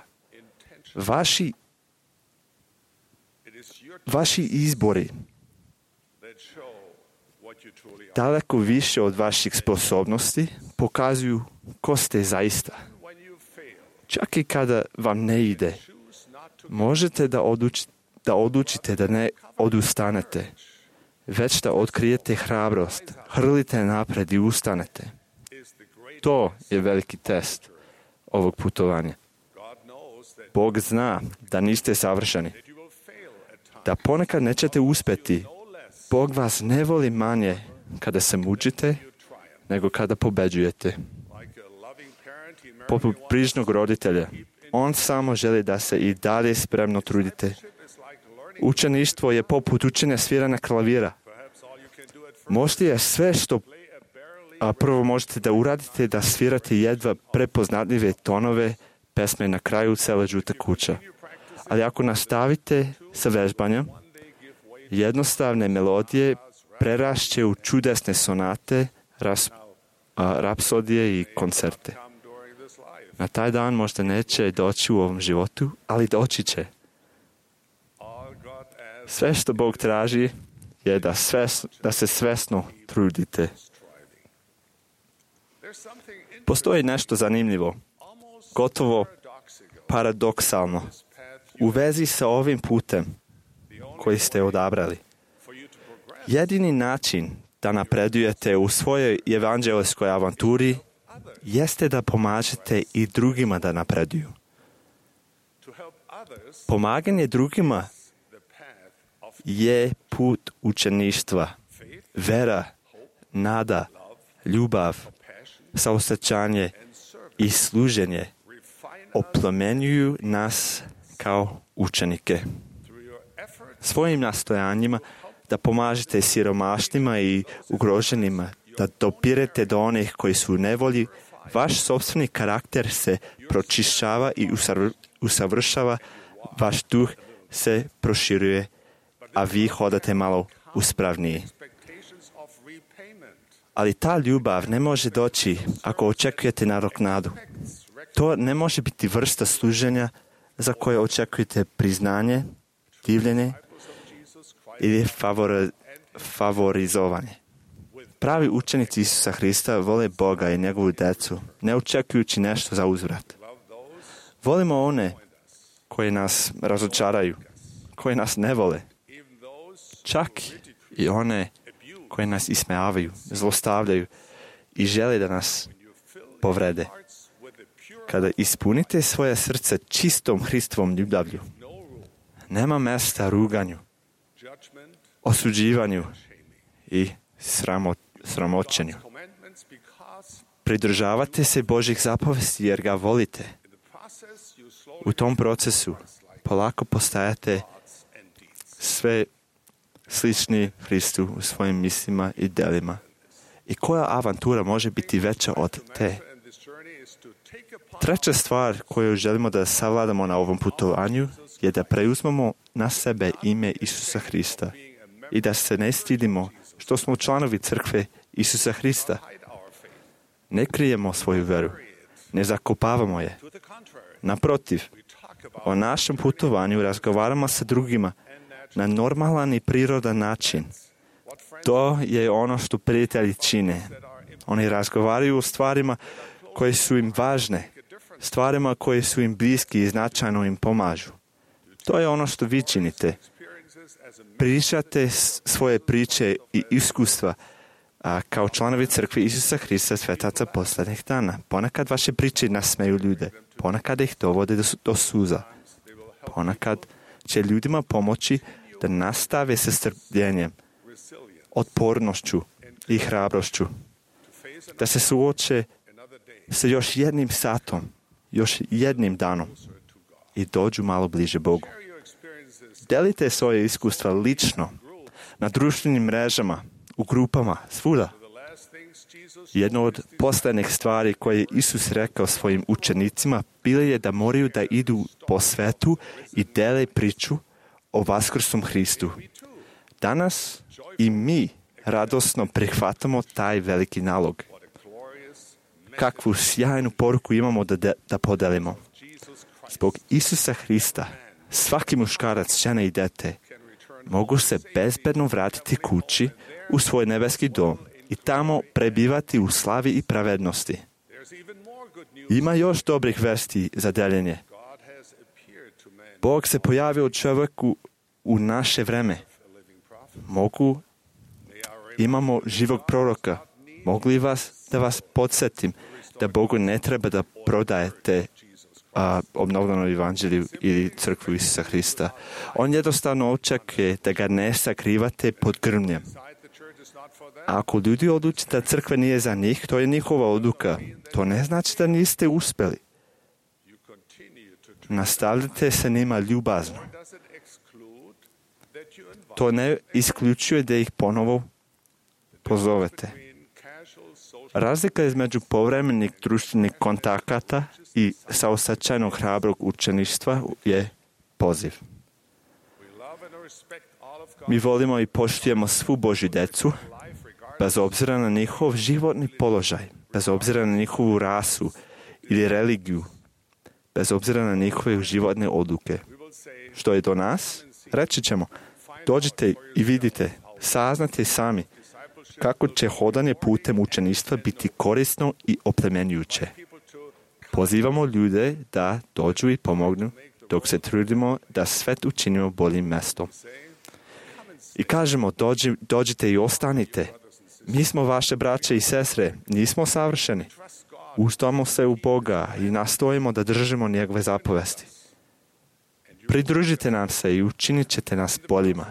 Vaši izbori daleko više od vaših sposobnosti pokazuju ko ste zaista. Čak i kada vam ne ide, možete da odlučite da ne odustanete, već da otkrijete hrabrost, hrlite napred i ustanete. To je veliki test ovog putovanja. Bog zna da niste savršeni, da ponekad nećete uspjeti. Bog vas ne voli manje kada se mučite, nego kada pobeđujete. Poput brižnog roditelja, on samo želi da se i dalje spremno trudite, Učeništvo je poput učenja sviranja klavira. Možda je sve što prvo možete da uradite da svirate jedva prepoznatljive tonove pesme na kraju cele žute kuća. Ali ako nastavite sa vežbanjem, jednostavne melodije prerašće u čudesne sonate, rapsodije i koncerte. Na taj dan možda neće doći u ovom životu, ali doći će. Sve što Bog traži je da se svesno trudite. Postoji nešto zanimljivo, gotovo paradoksalno, u vezi sa ovim putem koji ste odabrali. Jedini način da napredujete u svojoj evanđelskoj avanturi jeste da pomažete i drugima da napreduju. Pomaganje drugima je put učeništva, vera, nada, ljubav, saosećanje i služenje oplemenjuju nas kao učenike. Svojim nastojanjima da pomažete siromašnima i ugroženima, da dopirete do onih koji su u nevolji, vaš sopstveni karakter se pročišćava i usavršava, vaš duh se proširuje, a vi hodate malo uspravniji. Ali ta ljubav ne može doći ako očekujete nadoknadu. To ne može biti vrsta služenja za koje očekujete priznanje, divljenje ili favorizovanje. Pravi učenici Isusa Hrista vole Boga i njegovu decu, ne očekujući nešto za uzvrat. Volimo one koji nas razočaraju, koji nas ne vole, čak i one koji nas ismejavaju, zlostavljaju i žele da nas povrede. Kada ispunite svoje srce čistom Hristovom ljubavlju, nema mesta ruganju, osuđivanju i sramoćenju. Pridržavate se Božjih zapovesti jer ga volite. U tom procesu polako postajate sve slični Hristu u svojim mislima i delima. I koja avantura može biti veća od te? Treća stvar koju želimo da savladamo na ovom putovanju je da preuzmemo na sebe ime Isusa Hrista i da se ne stidimo što smo članovi crkve Isusa Hrista. Ne krijemo svoju veru, ne zakopavamo je. Naprotiv, o našem putovanju razgovaramo sa drugima na normalan i prirodan način. To je ono što prijatelji čine. Oni razgovaraju o stvarima koje su im važne, stvarima koje su im bliski i značajno im pomažu. To je ono što vi činite. Pričate svoje priče i iskustva kao članovi crkve Isusa Hrista svetaca posljednjih dana. Ponekad vaše priče nasmeju ljude, ponekad ih dovode do suza. Ponekad će ljudima pomoći da nastave sa strpljenjem, otpornošću i hrabrošću, da se suoče sa još jednim satom, još jednim danom i dođu malo bliže Bogu. Delite svoje iskustva lično, na društvenim mrežama, u grupama, svuda. Jedno od posljednjih stvari koje je Isus rekao svojim učenicima bilo je da moraju da idu po svetu i dele priču o vaskrsnom Hristu. Danas i mi radosno prihvatamo taj veliki nalog. Kakvu sjajnu poruku imamo da podelimo. Zbog Isusa Hrista, svaki muškarac, žena i dete mogu se bezbedno vratiti kući u svoj nebeski dom i tamo prebivati u slavi i pravednosti. Ima još dobrih vesti za deljenje. Bog se pojavio čovjeku u naše vreme. Imamo živog proroka. Mogu li da vas podsjetim da Bogu ne treba da prodajete obnovljeno evanđelju ili crkvu Isusa Hrista. On jednostavno očekuje da ga ne sakrivate pod grmljem. A ako ljudi odluče da crkva nije za njih, to je njihova odluka. To ne znači da niste uspjeli. Nastavljate se njima ljubazno. To ne isključuje da ih ponovo pozovete. Razlika između povremenih društvenih kontakata i saosećajnog hrabrog učeništva je poziv. Mi volimo i poštujemo svu Božju djecu, bez obzira na njihov životni položaj, bez obzira na njihovu rasu ili religiju, bez obzira na njihove životne odluke. Što je do nas? Reći ćemo, dođite i vidite, saznate sami kako će hodanje putem učeništva biti korisno i oplemenjujuće. Pozivamo ljude da dođu i pomognu, dok se trudimo da svet učinimo boljim mjestom. I kažemo, dođite i ostanite. Mi smo vaše braće i sestre, nismo savršeni. Ustavimo se u Boga i nastojimo da držimo njegove zapovesti. Pridružite nam se i učinit ćete nas boljima.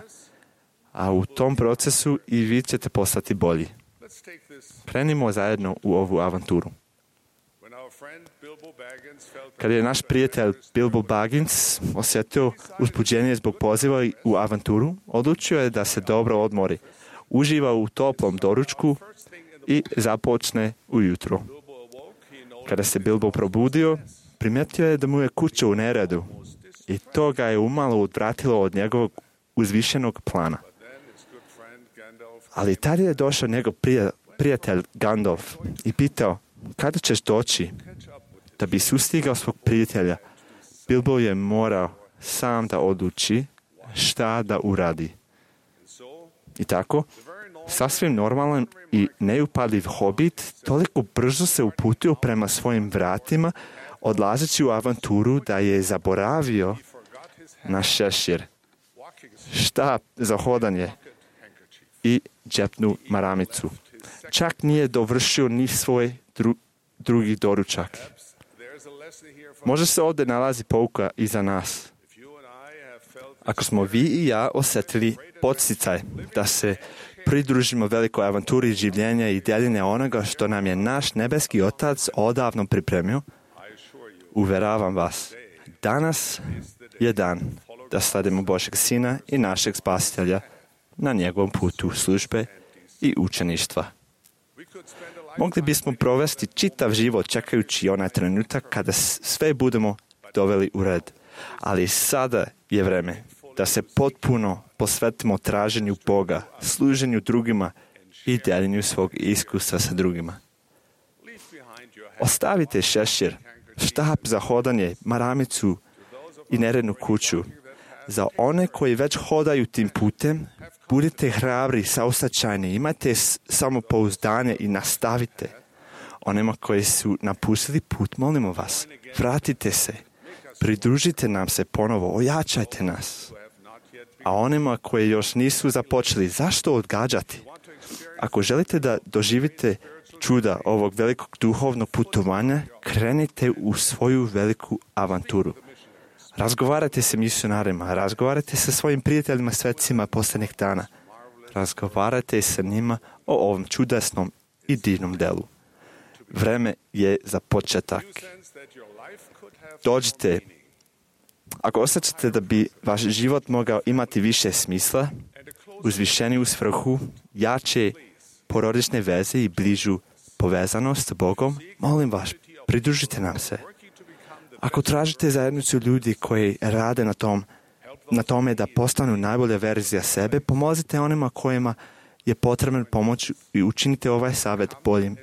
A u tom procesu i vi ćete postati bolji. Krenimo zajedno u ovu avanturu. Kad je naš prijatelj Bilbo Baggins osjetio uzbuđenje zbog poziva u avanturu, odlučio je da se dobro odmori, uživa u toplom doručku i započne ujutro. Kada se Bilbo probudio, primijetio je da mu je kuća u neredu i to ga je umalo odvratilo od njegovog uzvišenog plana. Ali tada je došao njegov prijatelj Gandalf i pitao, kada ćeš doći? Da bi sustigao svog prijatelja, Bilbo je morao sam da odluči šta da uradi. I tako, sasvim normalan i neupadljiv hobit toliko brzo se uputio prema svojim vratima, odlazeći u avanturu da je zaboravio na šešir, štap za hodanje i džepnu maramicu. Čak nije dovršio ni svoj drugi doručak. Možda se ovdje nalazi pouka i za nas. Ako smo vi i ja osjetili podsticaj da se pridružimo velikoj avanturi življenja i deljenja onoga što nam je naš nebeski Otac odavno pripremio, uveravam vas, danas je dan da sledimo Božeg Sina i našeg Spasitelja na njegovom putu službe i učeništva. Mogli bismo provesti čitav život čekajući onaj trenutak kada sve budemo doveli u red. Ali sada je vreme da se potpuno posvetimo traženju Boga, služenju drugima i deljenju svog iskustva sa drugima. Ostavite šešir, štap za hodanje, maramicu i nerednu kuću. Za one koji već hodaju tim putem, budite hrabri, saosećajni, imajte samopouzdanje i nastavite. Onima koji su napustili put, molimo vas, vratite se, pridružite nam se ponovo, ojačajte nas. A onima koji još nisu započeli, zašto odgađati? Ako želite da doživite čuda ovog velikog duhovnog putovanja, krenite u svoju veliku avanturu. Razgovarajte sa misionarima, razgovarajte sa svojim prijateljima svetcima posljednjih dana. Razgovarajte sa njima o ovom čudesnom i divnom delu. Vreme je za početak. Dođite. Ako osjećate da bi vaš život mogao imati više smisla, uzvišeniju svrhu, jače porodične veze i bližu povezanost s Bogom, molim vas, pridružite nam se. Ako tražite zajednicu ljudi koji rade na tome da postanu najbolja verzija sebe, pomozite onima kojima je potrebna pomoć i učinite ovaj savjet boljim,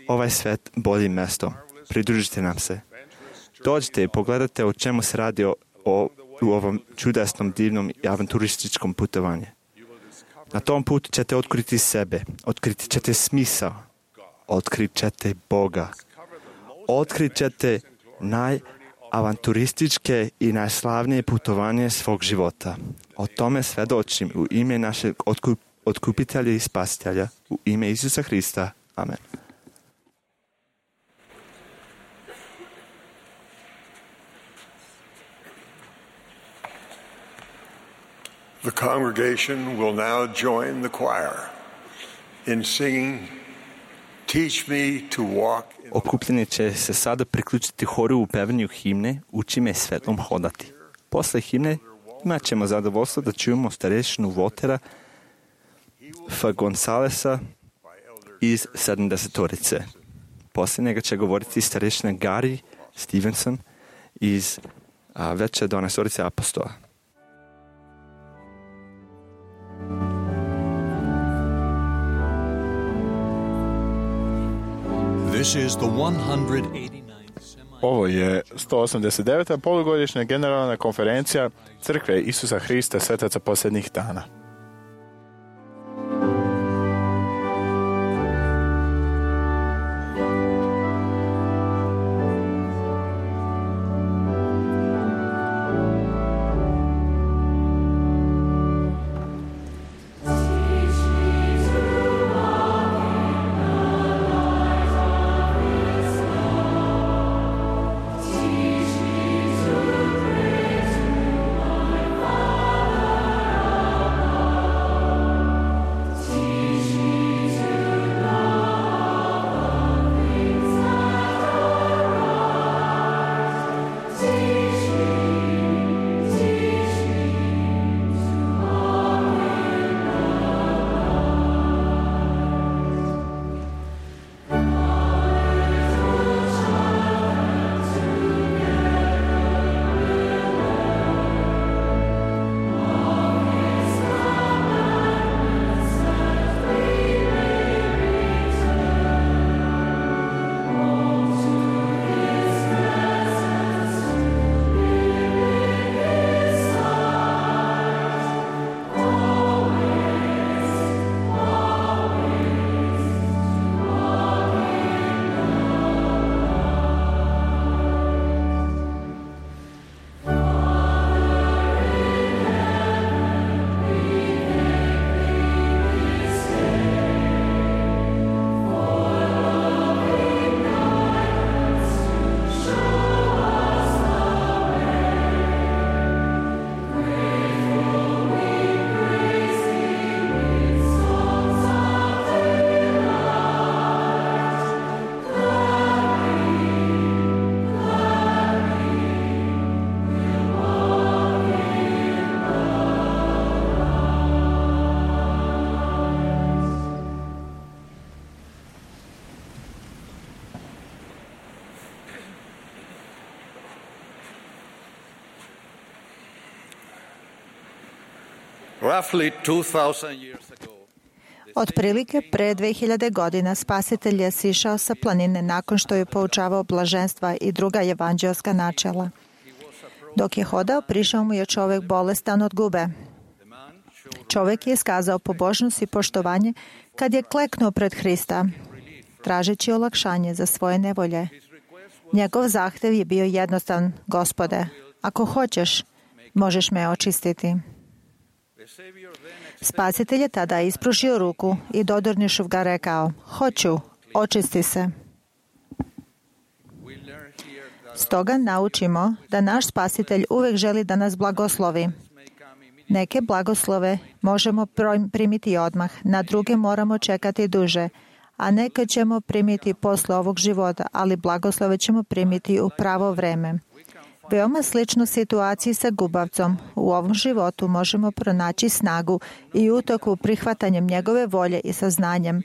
ovaj svet boljim mjestom. Pridružite nam se. Dođite i pogledajte o čemu se radi u ovom čudesnom, divnom i avanturističkom putovanju. Na tom putu ćete otkriti sebe, otkriti ćete smisao, otkrit ćete Boga, otkrit ćete avanturističke i najslavnije putovanje svog života. O tome svedočim u ime našeg otkupitelja i spasitelja, u ime Isusa Hrista. Amen. The congregation will now join the choir in singing Teach me to walk. Okupljeni će se sada priključiti horu u pevanju himne Uči me svetlom hodati. Posle himne imat ćemo zadovoljstvo da čujemo starešinu Waltera F. Gonzalesa iz 70-torice. Poslije njega će govoriti starešina Gary Stevenson iz veće 12-torice apostola. This is the 189th Ovo je 189. polugodišnja generalna konferencija Crkve Isusa Hrista svetaca posljednjih dana. Otprilike pre 2000 godina Spasitelj je sišao sa planine nakon što je poučavao blaženstva i druga evanđelska načela. Dok je hodao, prišao mu je čovjek bolestan od gube. Čovjek je iskazao pobožnost i poštovanje kad je kleknuo pred Hrista, tražeći olakšanje za svoje nevolje. Njegov zahtev je bio jednostavan: Gospode, ako hoćeš, možeš me očistiti. Spasitelj je tada ispružio ruku i dodirnuši ga rekao: hoću, očisti se. Stoga naučimo da naš Spasitelj uvijek želi da nas blagoslovi. Neke blagoslove možemo primiti odmah, na druge moramo čekati duže, a neke ćemo primiti posle ovog života, ali blagoslove ćemo primiti u pravo vreme. Veoma slično situaciji sa gubavcom. U ovom životu možemo pronaći snagu i utoku prihvatanjem njegove volje i saznanjem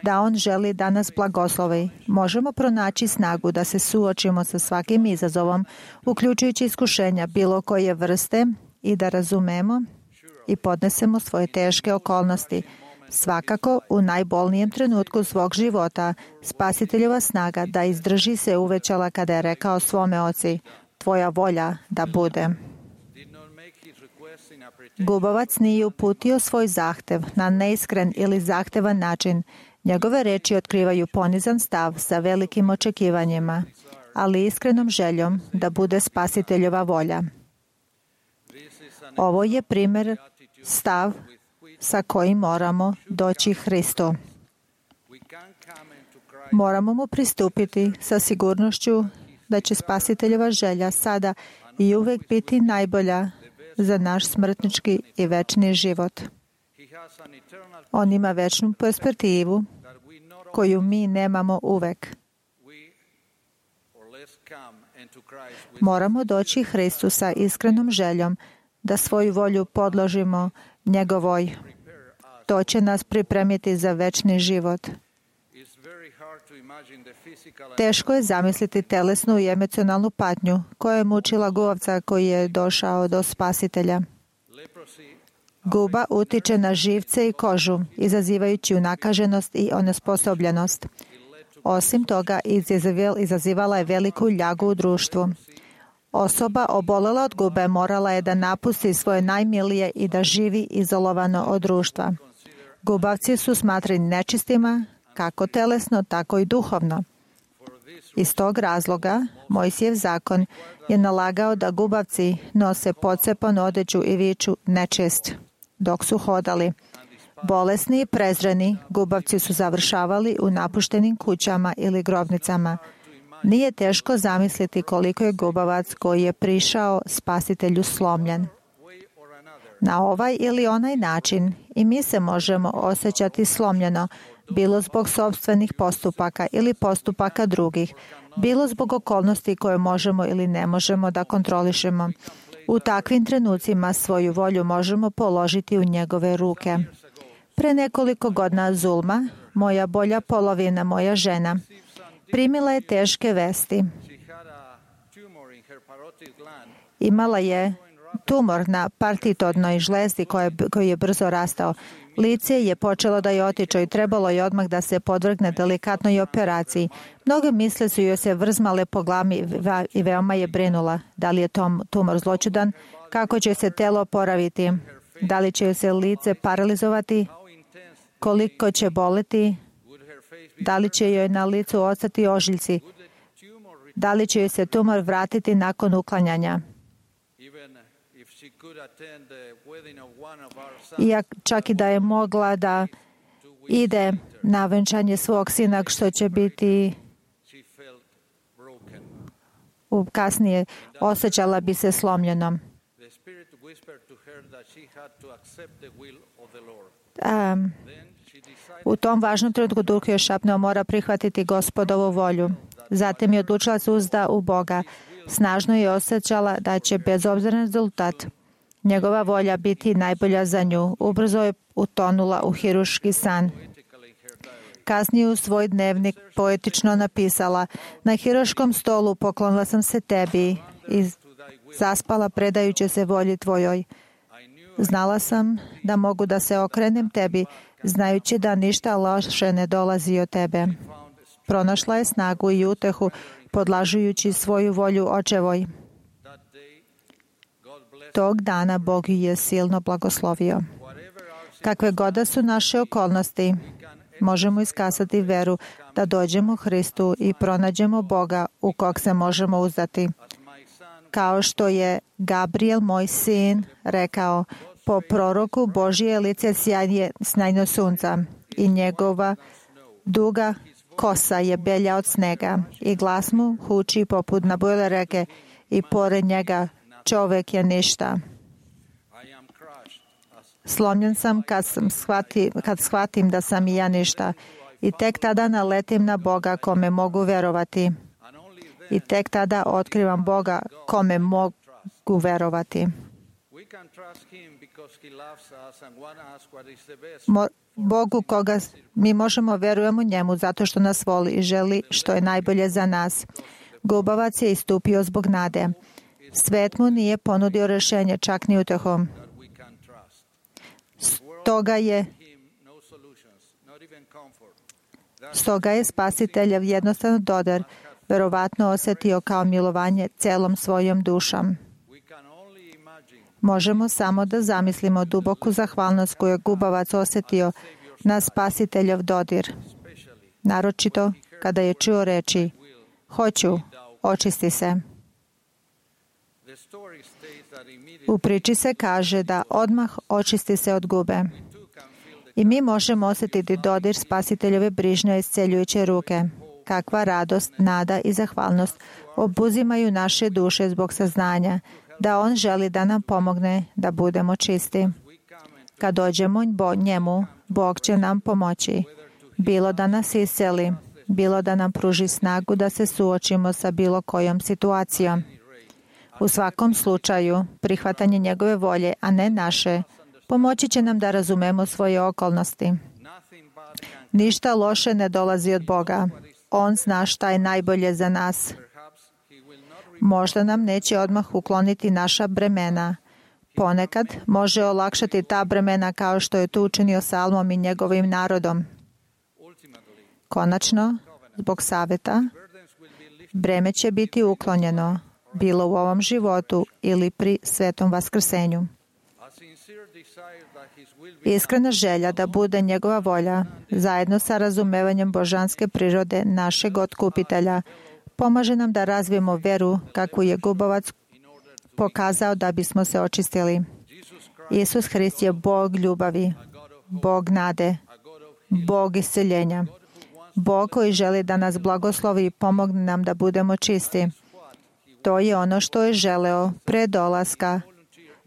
da on želi da nas blagoslovi. Možemo pronaći snagu da se suočimo sa svakim izazovom, uključujući iskušenja bilo koje vrste, i da razumemo i podnesemo svoje teške okolnosti. Svakako, u najbolnijem trenutku svog života, Spasiteljova snaga da izdrži se uvećala kada je rekao svome oci: tvoja volja da bude. Gubavac nije uputio svoj zahtev na neiskren ili zahtevan način. Njegove reči otkrivaju ponizan stav sa velikim očekivanjima, ali iskrenom željom da bude Spasiteljova volja. Ovo je primjer, stav sa kojim moramo doći Hristu. Moramo mu pristupiti sa sigurnošću da će Spasiteljova želja sada i uvijek biti najbolja za naš smrtnički i večni život. On ima večnu perspektivu koju mi nemamo uvijek. Moramo doći Hristu sa iskrenom željom da svoju volju podložimo njegovoj. To će nas pripremiti za večni život. Teško je zamisliti telesnu i emocionalnu patnju koja je mučila gubavca koji je došao do Spasitelja. Guba utiče na živce i kožu, izazivajući unakaženost i onesposobljenost. Osim toga, izazivala je veliku ljagu u društvu. Osoba obolela od gube morala je da napusti svoje najmilije i da živi izolovano od društva. Gubavci su smatrani nečistima, kako telesno, tako i duhovno. Iz tog razloga, Mojsijev zakon je nalagao da gubavci nose pocepanu odeću i viču nečist dok su hodali. Bolesni i prezreni, gubavci su završavali u napuštenim kućama ili grobnicama. Nije teško zamisliti koliko je gubavac koji je prišao Spasitelju slomljen. Na ovaj ili onaj način i mi se možemo osjećati slomljeno, bilo zbog sopstvenih postupaka ili postupaka drugih, bilo zbog okolnosti koje možemo ili ne možemo da kontrolišemo. U takvim trenucima svoju volju možemo položiti u njegove ruke. Pre nekoliko godina Zulma, moja bolja polovina, moja žena, primila je teške vesti. Imala je tumor na partitodnoj žlezdi koji je brzo rastao. Lice je počelo da je otiče i trebalo je odmah da se podvrgne delikatnoj operaciji. Mnoge misle su joj se vrzmale po glavi i veoma je brinula. Da li je tumor zloćudan? Kako će se telo oporaviti? Da li će joj se lice paralizovati? Koliko će boleti? Da li će joj na licu ostati ožiljci? Da li će joj se tumor vratiti nakon uklanjanja? Čak i da je mogla da ide na venčanje svog sina, što će biti kasnije, osjećala bi se slomljenom. U tom važnom trenutku Duh je šapnuo, mora prihvatiti Gospodovu volju. Zatim je odlučila se uzda u Boga. Snažno je osjećala da će bez obzira na rezultat njegova volja biti najbolja za nju. Ubrzo je utonula u hiruški san. Kasnije u svoj dnevnik poetično napisala: na hiruškom stolu poklonila sam se tebi i zaspala predajući se volji tvojoj. Znala sam da mogu da se okrenem tebi, znajući da ništa loše ne dolazi od tebe. Pronašla je snagu i utehu, podlažujući svoju volju očevoj. Tog dana Bog ju je silno blagoslovio. Kakve god da su naše okolnosti, možemo iskazati veru da dođemo Hristu i pronađemo Boga u kog se možemo uzdati. Kao što je Gabriel, moj sin, rekao: po proroku Božje lice sjajno sunca i njegova duga kosa je belja od snega i glas mu huči poput nabujele reke i pored njega čovek je ništa. Slomljen sam kad shvatim da sam i ja ništa i tek tada naletim na Boga kome mogu verovati. I tek tada otkrivam Boga kome mogu verovati. Bogu koga mi možemo verujemo njemu zato što nas voli i želi što je najbolje za nas. Gubavac je istupio zbog nade. Svet mu nije ponudio rešenje, čak ni utehom. Stoga je Spasiteljev jednostavan dodar verovatno osjetio kao milovanje celom svojom dušom. Možemo samo da zamislimo duboku zahvalnost koju je gubavac osjetio na Spasiteljov dodir. Naročito kada je čuo reči: hoću, očisti se. U priči se kaže da odmah očisti se od gube. I mi možemo osjetiti dodir Spasiteljove brižne i isceljujuće ruke. Kakva radost, nada i zahvalnost obuzimaju naše duše zbog saznanja da On želi da nam pomogne da budemo čisti. Kad dođemo njemu, Bog će nam pomoći. Bilo da nas isceli, bilo da nam pruži snagu da se suočimo sa bilo kojom situacijom. U svakom slučaju, prihvatanje njegove volje, a ne naše, pomoći će nam da razumemo svoje okolnosti. Ništa loše ne dolazi od Boga. On zna šta je najbolje za nas. Možda nam neće odmah ukloniti naša bremena. Ponekad može olakšati ta bremena kao što je to učinio Salmom i njegovim narodom. Konačno, zbog saveta, breme će biti uklonjeno, bilo u ovom životu ili pri svetom vaskrsenju. Iskrena želja da bude njegova volja, zajedno sa razumevanjem božanske prirode našeg otkupitelja, pomaže nam da razvijemo veru kakvu je Gubovac pokazao da bismo se očistili. Isus Hrist je Bog ljubavi, Bog nade, Bog isceljenja, Bog koji želi da nas blagoslovi i pomogne nam da budemo čisti. To je ono što je želeo pre dolaska,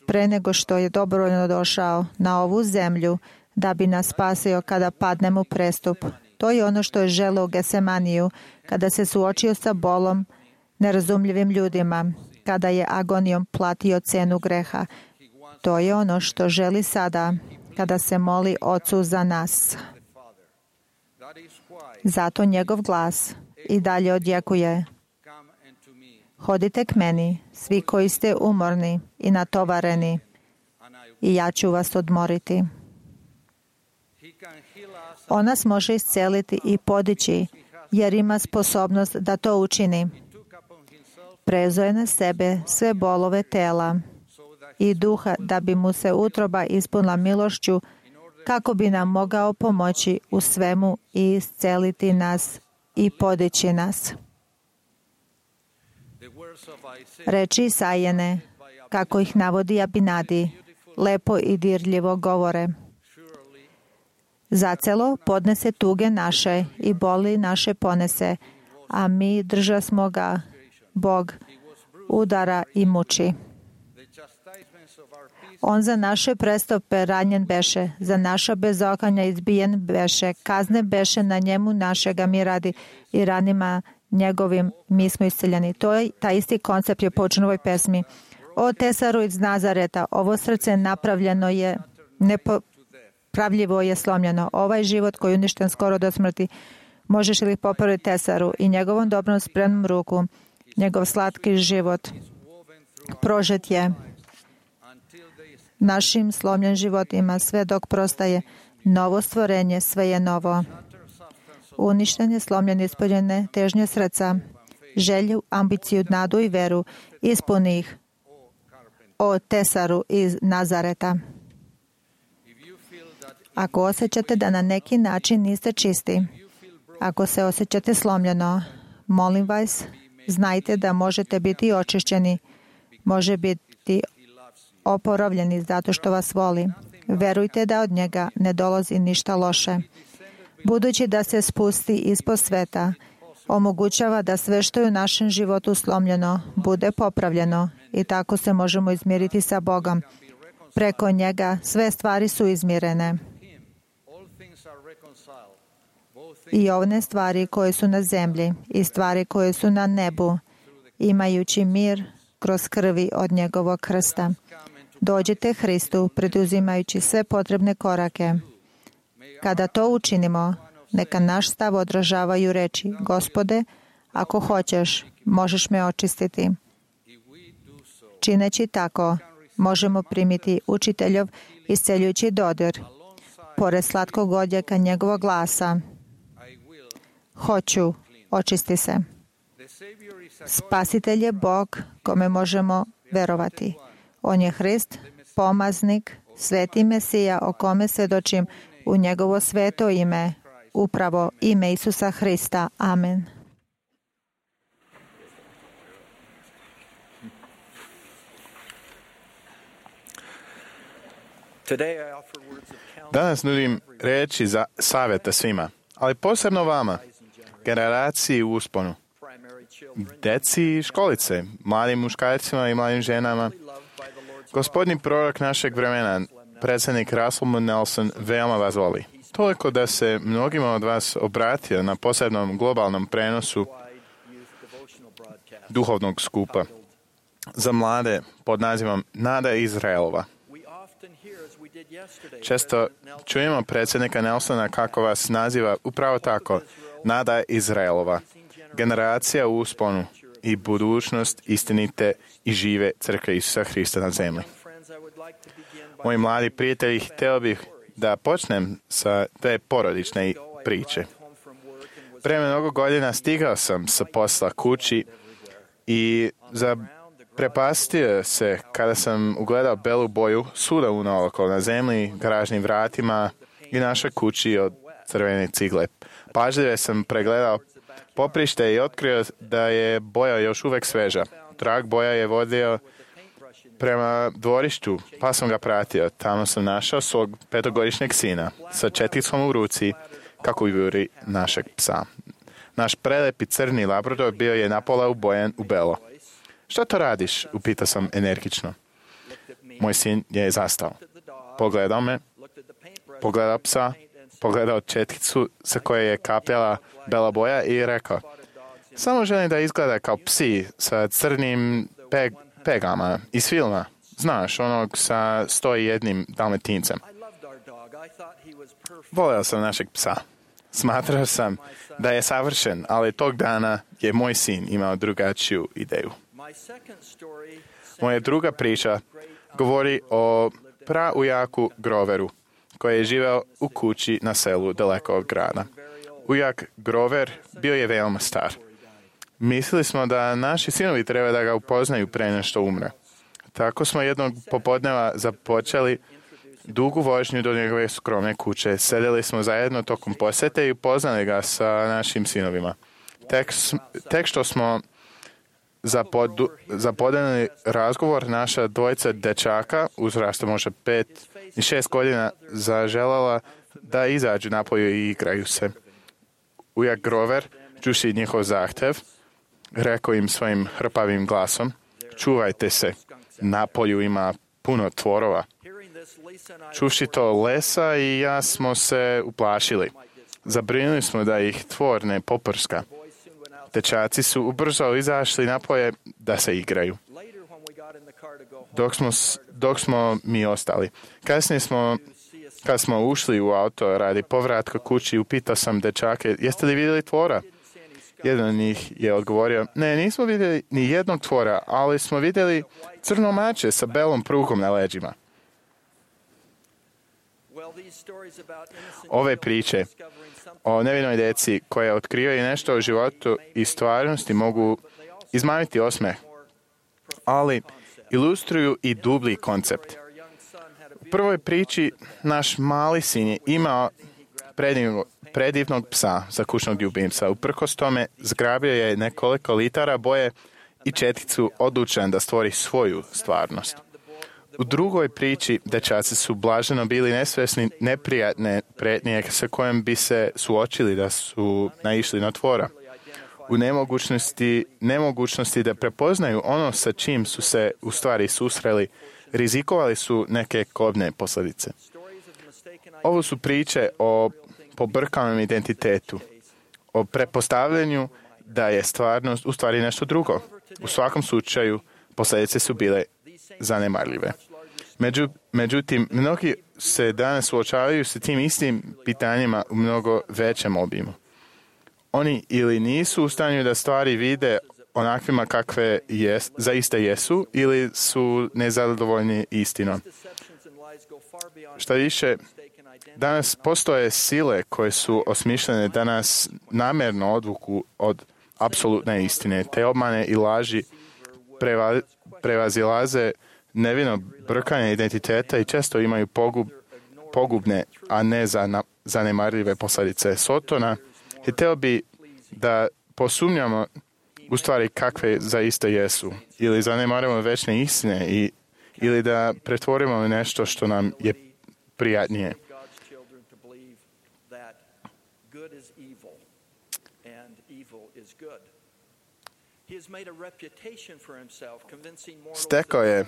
pre nego što je dobrovoljno došao na ovu zemlju da bi nas spasio kada padnemo u prestup. To je ono što je želeo u Gesemaniju kada se suočio sa bolom, nerazumljivim ljudima, kada je agonijom platio cenu greha. To je ono što želi sada kada se moli Ocu za nas. Zato njegov glas i dalje odjekuje: hodite k meni, svi koji ste umorni i natovareni, i ja ću vas odmoriti. On nas može isceliti i podići, jer ima sposobnost da to učini. Preuzeo je na sebe sve bolove tela i duha da bi mu se utroba ispunila milošću, kako bi nam mogao pomoći u svemu i isceliti nas i podići nas. Reči Isajine, kako ih navodi Abinadi, lepo i dirljivo govore: zacelo podnese tuge naše i boli naše ponese, a mi držasmo ga, Bog udara i muči. On za naše prestupe ranjen beše, za naša bezokanja izbijen beše, kazne beše na njemu našega mi radi i ranima njegovim mi smo isceljeni. To je taj isti koncept je počeo u ovoj pesmi. O tesaru iz Nazareta, ovo srce napravljeno je, nepopravljivo je slomljeno. Ovaj život koji je uništen skoro do smrti, možeš li popraviti tesaru i njegovom dobrom spremnom ruku, njegov slatki život prožet je našim slomljen životima sve dok prostaje novo stvorenje, sve je novo. Uništen je slomljen ispoljene težnje srca, želju, ambiciju, nadu i veru, ispuni ih, o tesaru iz Nazareta. Ako osjećate da na neki način niste čisti, ako se osjećate slomljeno, molim vas, znajte da možete biti očišćeni, može biti oporavljeni zato što vas voli. Verujte da od njega ne dolazi ništa loše. Budući da se spusti ispod sveta, omogućava da sve što je u našem životu slomljeno bude popravljeno i tako se možemo izmiriti sa Bogom. Preko njega sve stvari su izmirene. I one stvari koje su na zemlji i stvari koje su na nebu, imajući mir kroz krvi od njegovog krsta. Dođite Hristu, preduzimajući sve potrebne korake. Kada to učinimo, neka naš stav odražavaju reči: Gospode, ako hoćeš, možeš me očistiti. Čineći tako, možemo primiti učiteljov isceljujući dodir, pored slatkog odjeka njegovog glasa: hoću, očisti se. Spasitelj je Bog kome možemo verovati. On je Hrist, pomaznik, sveti Mesija o kome svjedočim u njegovo sveto ime, upravo ime Isusa Hrista. Amen. Danas nudim riječi za savjeta svima, ali posebno vama, generaciji u usponu, deci i školice, mladim muškarcima i mladim ženama. Gospodnji prorok našeg vremena, predsjednik Russell M. Nelson, veoma vas voli. Toliko da se mnogima od vas obratio na posebnom globalnom prenosu duhovnog skupa za mlade pod nazivom Nada Izraelova. Često čujemo predsjednika Nelsona kako vas naziva upravo tako, Nada Izraelova, generacija u usponu i budućnost istinite i žive crkve Isusa Hrista na zemlji. Moji mladi prijatelji, htio bih da počnem sa te porodične priče. Pre mnogo godina stigao sam sa posla kući i zaprepastio se kada sam ugledao belu boju svuda unaokolo na zemlji, garažnim vratima i našoj kući od crvene cigle. Pažljivo sam pregledao poprište i otkrio da je boja još uvek sveža. Trag boja je vodio prema dvorištu, pa sam ga pratio. Tamo sam našao svog 5-godišnjeg sina sa četicom u ruci, kako juri našeg psa. Naš prelepi crni labrador bio je napola ubojen u belo. Šta to radiš? Upitao sam energično. Moj sin je zastao. Pogledao me, pogledao psa, pogledao četkicu sa koje je kapljala bela boja i rekao: samo želim da izgleda kao psi sa crnim pegama iz filma. Znaš, onog sa 101 dalmatincem. Voleo sam našeg psa. Smatrao sam da je savršen, ali tog dana je moj sin imao drugačiju ideju. Moja druga priča govori o praujaku Groveru, koji je živeo u kući na selu daleko od grada. Ujak Grover bio je veoma star. Mislili smo da naši sinovi treba da ga upoznaju pre nešto umre. Tako smo jednog popodneva započeli dugu vožnju do njegove skromne kuće. Sedeli smo zajedno tokom posete i upoznali ga sa našim sinovima. Tek što smo zapodeli razgovor, naša dvojica dečaka, uzrasta možda 5 i 6 godina, zaželjela da izađu napolju i igraju se. Ujak Grover, čuši njihov zahtev, rekao im svojim hrpavim glasom: čuvajte se, napolju ima puno tvorova. Čuši to, Lesa i ja smo se uplašili. Zabrinuli smo da ih tvor ne poprska. Dečaci su ubrzo izašli napolje da se igraju, dok smo mi ostali. Kasnije kada smo ušli u auto radi povratka kući, upitao sam dečake: jeste li vidjeli tvora? Jedan od njih je odgovorio: ne, nismo vidjeli ni jednog tvora, ali smo vidjeli crno mače sa belom prugom na leđima. Ove priče o nevinoj deci koja otkrivaju nešto o životu i stvarnosti mogu izmamiti osmeh, ali ilustruju i dublji koncept. U prvoj priči naš mali sin je imao predivnog psa za kućnog ljubimca. Uprkos tome zgrabio je nekoliko litara boje i četkicu, odlučen da stvori svoju stvarnost. U drugoj priči dečaci su blaženo bili nesvesni neprijatne pretnje sa kojom bi se suočili da su naišli na tvora. U nemogućnosti da prepoznaju ono sa čim su se u stvari susreli, rizikovali su neke kobne posljedice. Ovo su priče o pobrkanom identitetu, o prepostavljanju da je stvarnost u stvari nešto drugo. U svakom slučaju, posljedice su bile zanemarljive. Međutim, mnogi se danas suočavaju sa tim istim pitanjima u mnogo većem obimu. Oni ili nisu u stanju da stvari vide onakvima kakve zaista jesu, ili su nezadovoljni istinom. Šta više, danas postoje sile koje su osmišljene da nas namjerno odvuku od apsolutne istine. Te obmane i laži prevazilaze nevino brkanje identiteta i često imaju pogubne, a ne zanemarljive posljedice. Sotona htio bi da posumnjamo u stvari kakve zaista jesu, ili zanemarimo večne istine ili da pretvorimo nešto što nam je prijatnije. Stekao je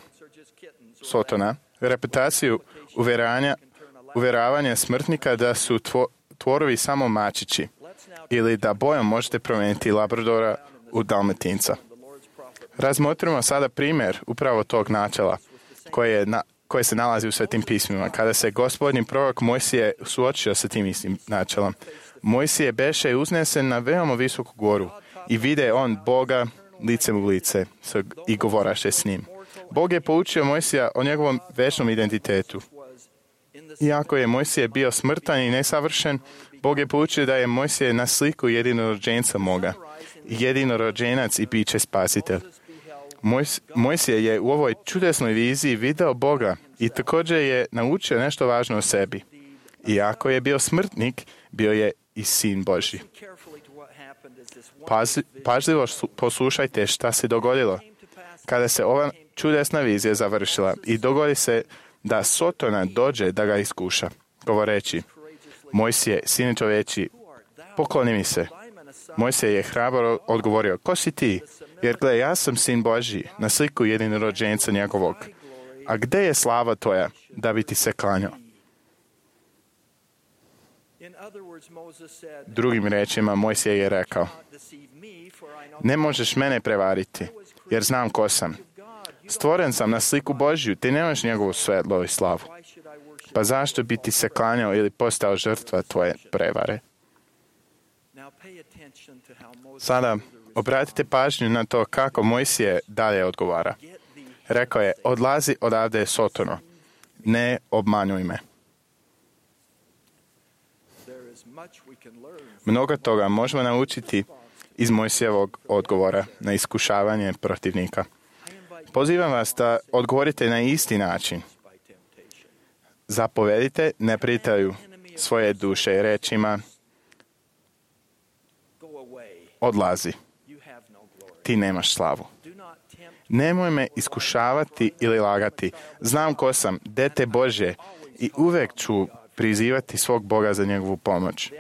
Sotona reputaciju uvjeravanja smrtnika da su tvorovi samo mačići ili da bojom možete promijeniti Labradora u Dalmatinca. Razmotrimo sada primjer upravo tog načela koje se nalazi u Svetim pismima. Kada se gospodnji prorok Mojsije suočio sa tim istim načelom, Mojsije beše uznesen na veoma visoku goru i vide on Boga licem u lice i govoraše s njim. Bog je poučio Mojsija o njegovom večnom identitetu. Iako je Mojsije bio smrtan i nesavršen, Bog je poučio da je Mojsije na sliku jedinorođenca moga, jedinorođenac i biće spasitelj. Mojsije je u ovoj čudesnoj viziji video Boga i također je naučio nešto važno o sebi. Iako je bio smrtnik, bio je i sin Božji. Pažljivo poslušajte šta se dogodilo. Kada se ova čudesna vizija završila i dogodi se da Sotona dođe da ga iskuša, govoreći: Mojsije, sine čoveči, pokloni mi se. Mojsije je hrabro odgovorio: Ko si ti? Jer gle, ja sam sin Božji, na sliku jedinorođenca njegovog. A gde je slava tvoja da bi ti se klanjao? Drugim rečima, Mojsije je rekao: Ne možeš mene prevariti, jer znam ko sam. Stvoren sam na sliku Božju, ti nemaš njegovu svetlo i slavu. Pa zašto bi ti se klanjao ili postao žrtva tvoje prevare? Sada obratite pažnju na to kako Mojsije dalje odgovara. Rekao je: Odlazi odavde, Sotono, ne obmanuj me. Mnogo toga možemo naučiti iz Mojsijevog odgovora na iskušavanje protivnika. Pozivam vas da odgovorite na isti način. Zapovedite neprijatelju svoje duše rečima: Odlazi, ti nemaš slavu. Nemoj me iskušavati ili lagati. Znam ko sam, dete Božje, i uvek ću prizivati svog Boga za njegovu pomoć.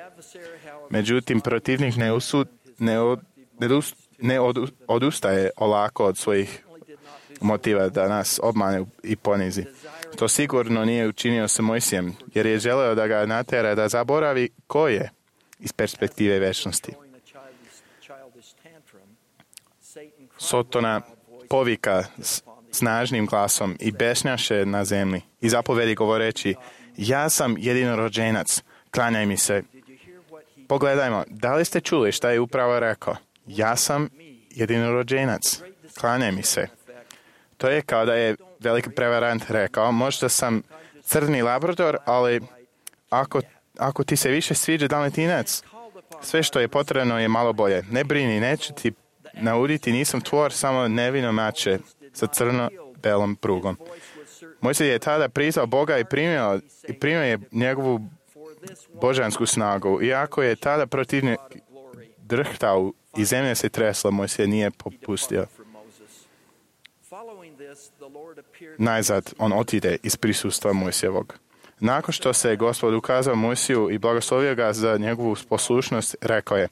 Međutim, protivnik ne odustaje olako od svojih motiva da nas obmane i ponizi. To sigurno nije učinio sa Mojsijem, jer je želeo da ga natera da zaboravi ko je iz perspektive večnosti. Sotona povika snažnim glasom i besnjaše na zemlji i zapovedi govoreći: Ja sam jedinorođenac, klanjaj mi se. Pogledajmo, da li ste čuli šta je upravo rekao? Ja sam jedinorođenac, klanjaj mi se. To je kao da je veliki prevarant rekao: Možda sam crni labrador, ali ako ti se više sviđa dalmatinac, sve što je potrebno je malo bolje. Ne brini, neću ti nauditi, nisam tvor, samo nevino mače sa crno-belom prugom. Mojsije je tada priznao Boga i primio je njegovu božansku snagu. Iako je tada protivnik drhtao i zemlja se tresla, Mojsije nije popustio. Najzad on otide iz prisustva Mojsijevog. Nakon što se Gospod ukazao Mojsiju i blagoslovio ga za njegovu poslušnost, rekao je: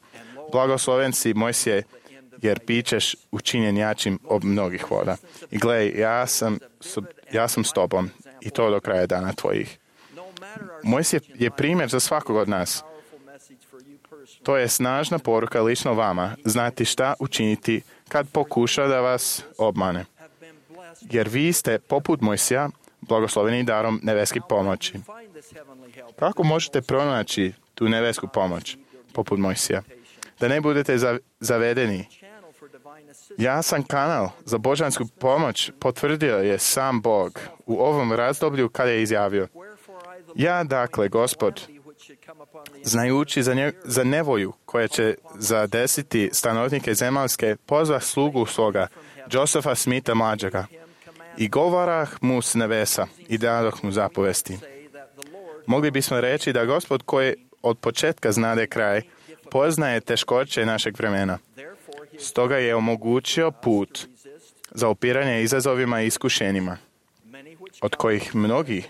Blagosloven si, Mojsije, jer bićeš učinjen jačim od mnogih voda. I gledaj, ja sam s tobom, i to do kraja dana tvojih. Mojsije je primjer za svakog od nas. To je snažna poruka lično vama, znati šta učiniti kad pokuša da vas obmane. Jer vi ste, poput Mojsija, blagosloveni darom nebeske pomoći. Kako možete pronaći tu nebesku pomoć, poput Mojsija? Da ne budete zavedeni. Ja sam kanal za božansku pomoć, potvrdio je sam Bog u ovom razdoblju kada je izjavio: Ja, dakle, Gospod, znajući za nevolju koja će zadesiti stanovnike zemaljske, pozvah slugu svoga, Josefa Smitha mlađega, i govorah mu s nebesa i dadoh mu zapovesti. Mogli bismo reći da Gospod, koji od početka znade kraj, poznaje teškoće našeg vremena. Stoga je omogućio put za opiranje izazovima i iskušenjima, od kojih mnogi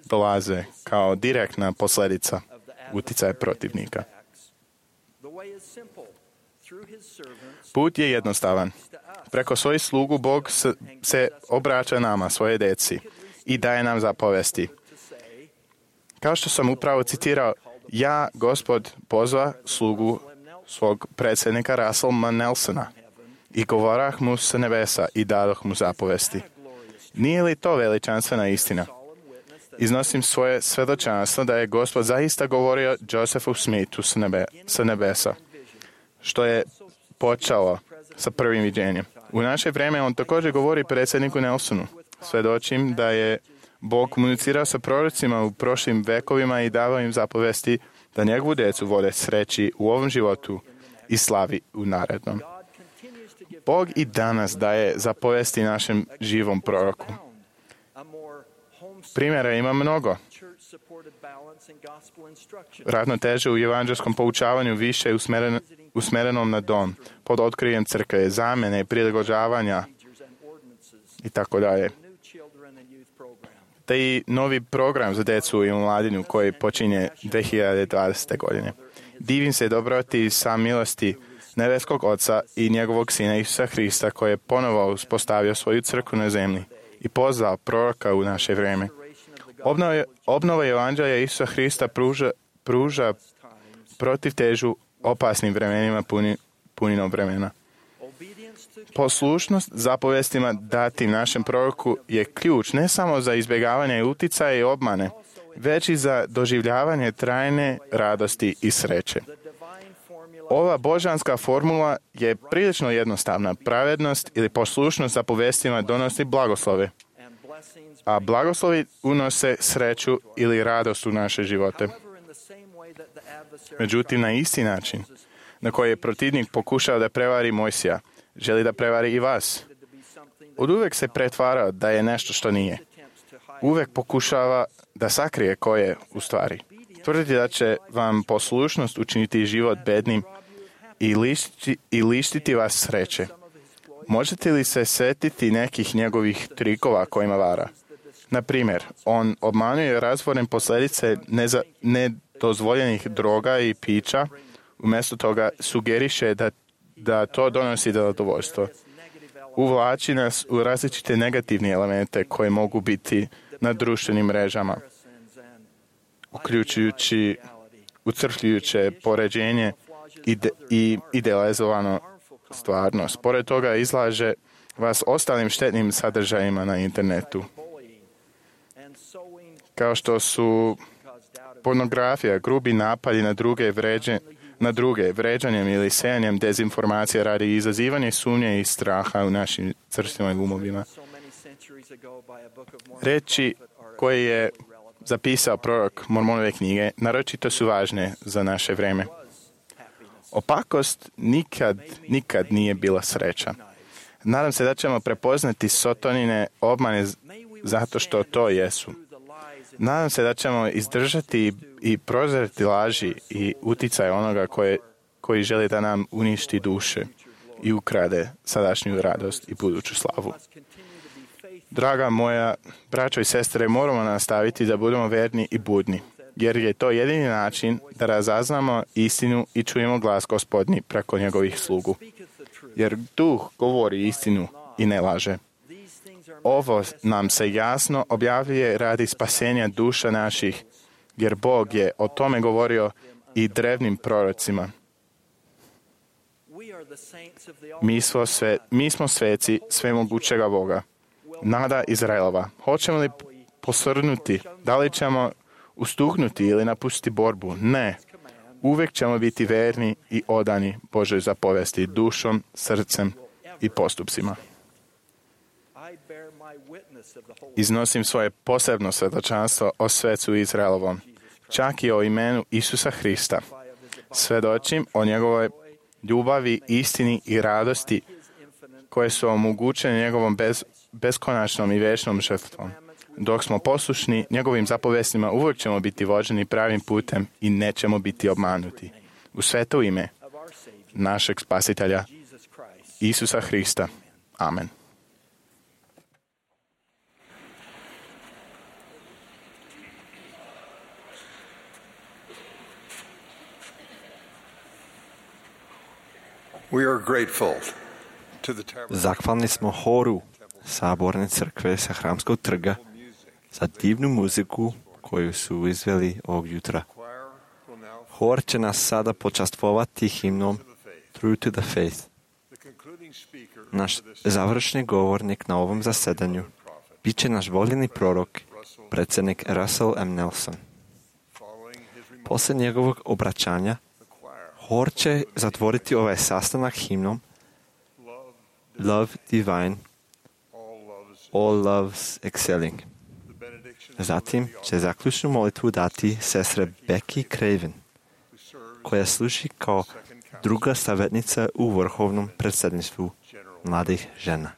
dolaze kao direktna posljedica uticaja protivnika. Put je jednostavan. Preko svojih slugu Bog se obraća nama, svoje deci, i daje nam zapovesti. Kao što sam upravo citirao, ja, Gospod, pozva slugu svog predsjednika Russella Nelsona I govorah mu s nebesa i dadoh mu zapovesti. Nije li to veličanstvena istina? Iznosim svoje svedočanstvo da je Gospod zaista govorio Josephu Smithu sa nebesa, što je počelo sa prvim viđenjem. U naše vrijeme on također govori predsjedniku Nelsonu. Svedočim da je Bog komunicirao sa prorocima u prošlim vekovima i davao im zapovesti da njegovu djecu vode sreći u ovom životu i slavi u narednom. Bog i danas daje zapovesti našem živom proroku. Primjera ima mnogo. Ravnoteže u evanđelskom poučavanju više je usmerenom na dom, pod otkrijem crkve, zamjene i prilagođavanja i tako dalje. Te i novi program za djecu i mladinu koji počinje 2020. godine. Divim se dobroti sa milosti nebeskog Oca i njegovog Sina Isusa Hrista koji je ponovo uspostavio svoju crkvu na zemlji i pozvao proroka u naše vrijeme. Obnova evanđelja Isusa Hrista pruža protivtežu opasnim vremenima puninom vremena. Poslušnost zapovestima datim našem proroku je ključ ne samo za izbjegavanje uticaja i obmane, već i za doživljavanje trajne radosti i sreće. Ova božanska formula je prilično jednostavna. Pravednost ili poslušnost zapovestima donosi blagoslove, a blagoslovi unose sreću ili radost u naše živote. Međutim, na isti način na koji je protivnik pokušao da prevari Mojsija, želi da prevari i vas. Oduvek se pretvarao da je nešto što nije. Uvek pokušava da sakrije ko je u stvari. Tvrditi da će vam poslušnost učiniti život bednim i lištiti vas sreće. Možete li se setiti nekih njegovih trikova kojima vara? Na primjer, on obmanjuje razvorne posljedice nedozvoljenih droga i pića, umjesto toga sugeriše da to donosi zadovoljstvo. Uvlači nas u različite negativne elemente koje mogu biti na društvenim mrežama, uključujući ucrpljujuće poređenje i idealizovano stvarnost. Pored toga izlaže vas ostalim štetnim sadržajima na internetu, kao što su pornografija, grubi napadi na druge, vređanjem ili sejanjem dezinformacija radi izazivanje sumnje i straha u našim srcima i umovima. Reči koje je zapisao prorok Mormonove knjige naročito su važne za naše vrijeme. Opakost nikad nije bila sreća. Nadam se da ćemo prepoznati Sotonine obmane zato što to jesu. Nadam se da ćemo izdržati i prozreti laži i uticaj onoga koji želi da nam uništi duše i ukrade sadašnju radost i buduću slavu. Draga moja braćo i sestre, moramo nastaviti da budemo verni i budni, jer je to jedini način da razaznamo istinu i čujemo glas Gospodnji preko njegovih slugu. Jer Duh govori istinu i ne laže. Ovo nam se jasno objavljuje radi spasenja duša naših, jer Bog je o tome govorio i drevnim prorocima. Mi smo sveci svemogućega Boga. Nada Izraelova. Hoćemo li posrnuti? Da li ćemo ustuknuti ili napustiti borbu? Ne. Uvijek ćemo biti verni i odani Božoj zapovesti dušom, srcem i postupcima. Iznosim svoje posebno svjedočanstvo o svecu Izraelovom, čak i o imenu Isusa Hrista. Svedočim o njegovoj ljubavi, istini i radosti koje su omogućene njegovom beskonačnom i večnom žrtvom. Dok smo poslušni njegovim zapovestima, uvijek ćemo biti vođeni pravim putem i nećemo biti obmanuti. U sveto ime našeg spasitelja Isusa Hrista. Amen. Zahvalni smo horu Saborne crkve sa Hramskog trga za divnu muziku koju su izveli ovog jutra. Hor će nas sada počastvovati himnom True to the Faith. Naš završni govornik na ovom zasedanju bit će naš voljeni prorok, predsjednik Russell M. Nelson. Poslije njegovog obraćanja, hor će zatvoriti ovaj sastanak himnom Love Divine, All Loves Excelling. Zatim će zaključnu molitvu dati sestre Becky Craven, koja služi kao druga savjetnica u vrhovnom predsjedništvu mladih žena.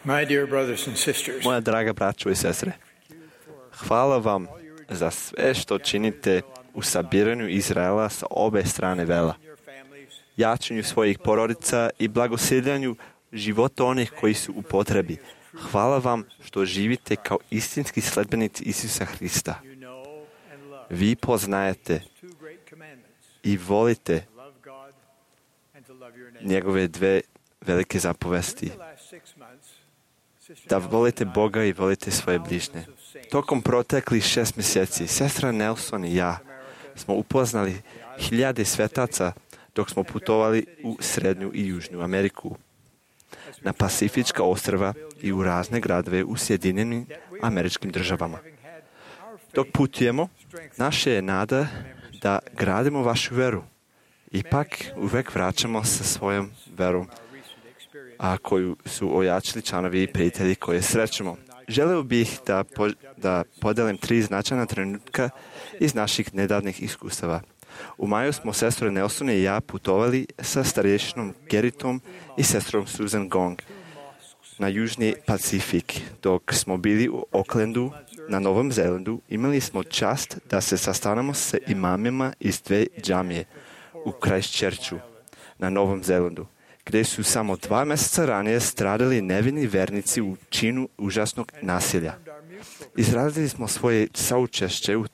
My dear brothers and sisters, Moja draga braćo i sestre, Hvala vam za sve što činite u sabiranju Izraela sa obe strane vela, jačanju svojih porodica i blagosiljanju života onih koji su u potrebi. Hvala vam što živite kao istinski sledbenici Isusa Hrista. Vi poznajete i volite njegove dve velike zapovesti. Da volite Boga i volite svoje bližnje. Tokom proteklih 6 mjeseci, sestra Nelson i ja smo upoznali hiljade svetaca dok smo putovali u Srednju i Južnu Ameriku, na Pacifička ostrva i u razne gradove u Sjedinjenim Američkim Državama. Dok putujemo, naša je nada da gradimo vašu veru. Ipak uvek vraćamo sa svojom verom, a koju su ojačili članovi i prijatelji koje srećemo. Želeo bih da podelim 3 značajna trenutka iz naših nedavnih iskustava. U maju smo sestre Nelson i ja putovali sa starješinom Geritom i sestrom Susan Gong na Južni Pacifik. Dok smo bili u Aucklandu na Novom Zelandu, imali smo čast da se sastanemo sa imamima iz 2 džamije u Christchurchu na Novom Zelandu, gdje su samo 2 mjeseca ranije stradali nevini vernici u činu užasnog nasilja. Izrazili smo svoje saučešće u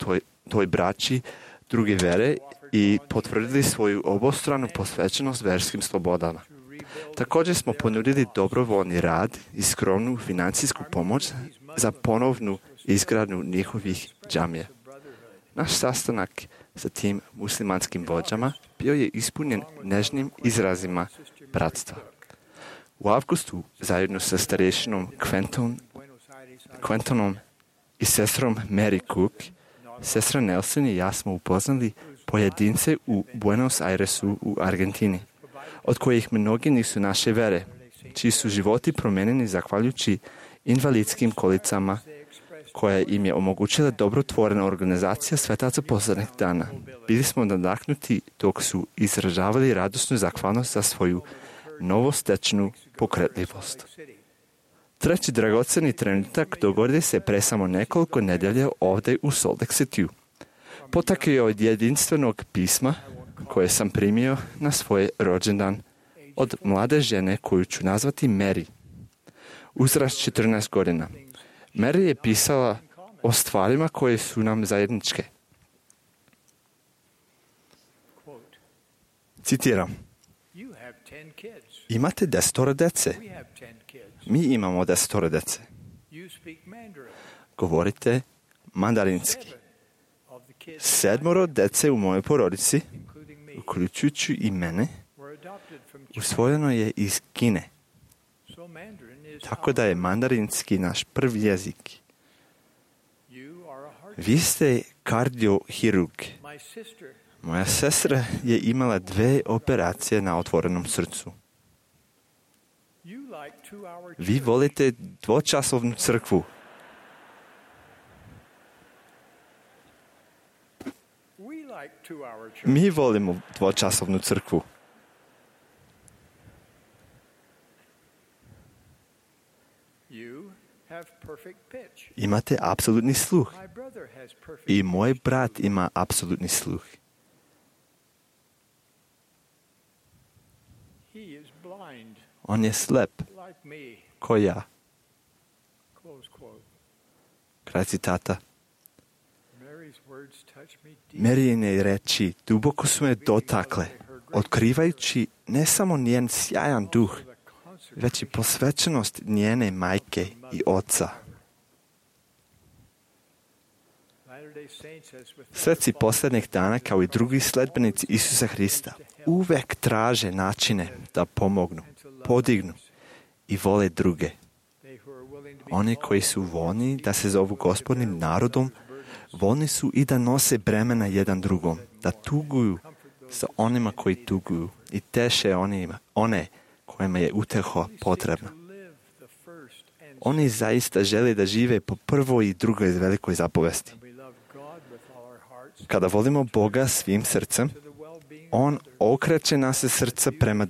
toj braći druge vere i potvrdili svoju obostranu posvećenost verskim slobodama. Također smo ponudili dobrovoljni rad i skromnu financijsku pomoć za ponovnu izgradnju njihovih džamija. Naš sastanak sa tim muslimanskim vođama bio je ispunjen nežnim izrazima bratstva. U avgustu, zajedno sa starješinom Quentonom i sestrom Mary Cook, sestra Nelson i ja smo upoznali pojedince u Buenos Airesu u Argentini, od kojih mnogi nisu naše vere, čiji su životi promijenjeni zahvaljujući invalidskim kolicama koja im je omogućila dobrotvorena organizacija svetaca posljednjih dana. Bili smo nadahnuti dok su izražavali radosnu zahvalnost za svoju novostečnu pokretljivost. Treći dragoceni trenutak dogodio se pre samo nekoliko nedjelja ovdje u Salt Lake Cityu. Potakao je od jedinstvenog pisma koje sam primio na svoj rođendan od mlade žene koju ću nazvati Mary. Uzrast 14 godina. Mary je pisala o stvarima koje su nam zajedničke. Citiram. Imate 10 dece. Mi imamo 10 dece. Govorite mandarinski. 7 dece u mojoj porodici, uključujući i mene, usvojeno je iz Kine. Tako da je mandarinski naš prvi jezik. Vi ste kardiohirurg. Moja sestra je imala 2 operacije na otvorenom srcu. Vi volite 2-časovnu crkvu. Mi volimo 2-časovnu crkvu. Imate apsolutni sluh. I moj brat ima apsolutni sluh. On je slep, ko ja. Kraj citata. Maryine reči duboko su me dotakle, otkrivajući ne samo njen sjajan duh, već i posvećenost njene majke i oca. Sveci posljednjih dana, kao i drugi sledbenici Isusa Hrista, uvek traže načine da pomognu, podignu i vole druge. Oni koji su voljni da se zovu Gospodnim narodom, voljni su i da nose bremena jedan drugom, da tuguju sa onima koji tuguju i teše one kojima je uteha potrebna. Oni zaista žele da žive po prvoj i drugoj velikoj zapovesti. Kada volimo Boga svim srcem, On okreće naše srca prema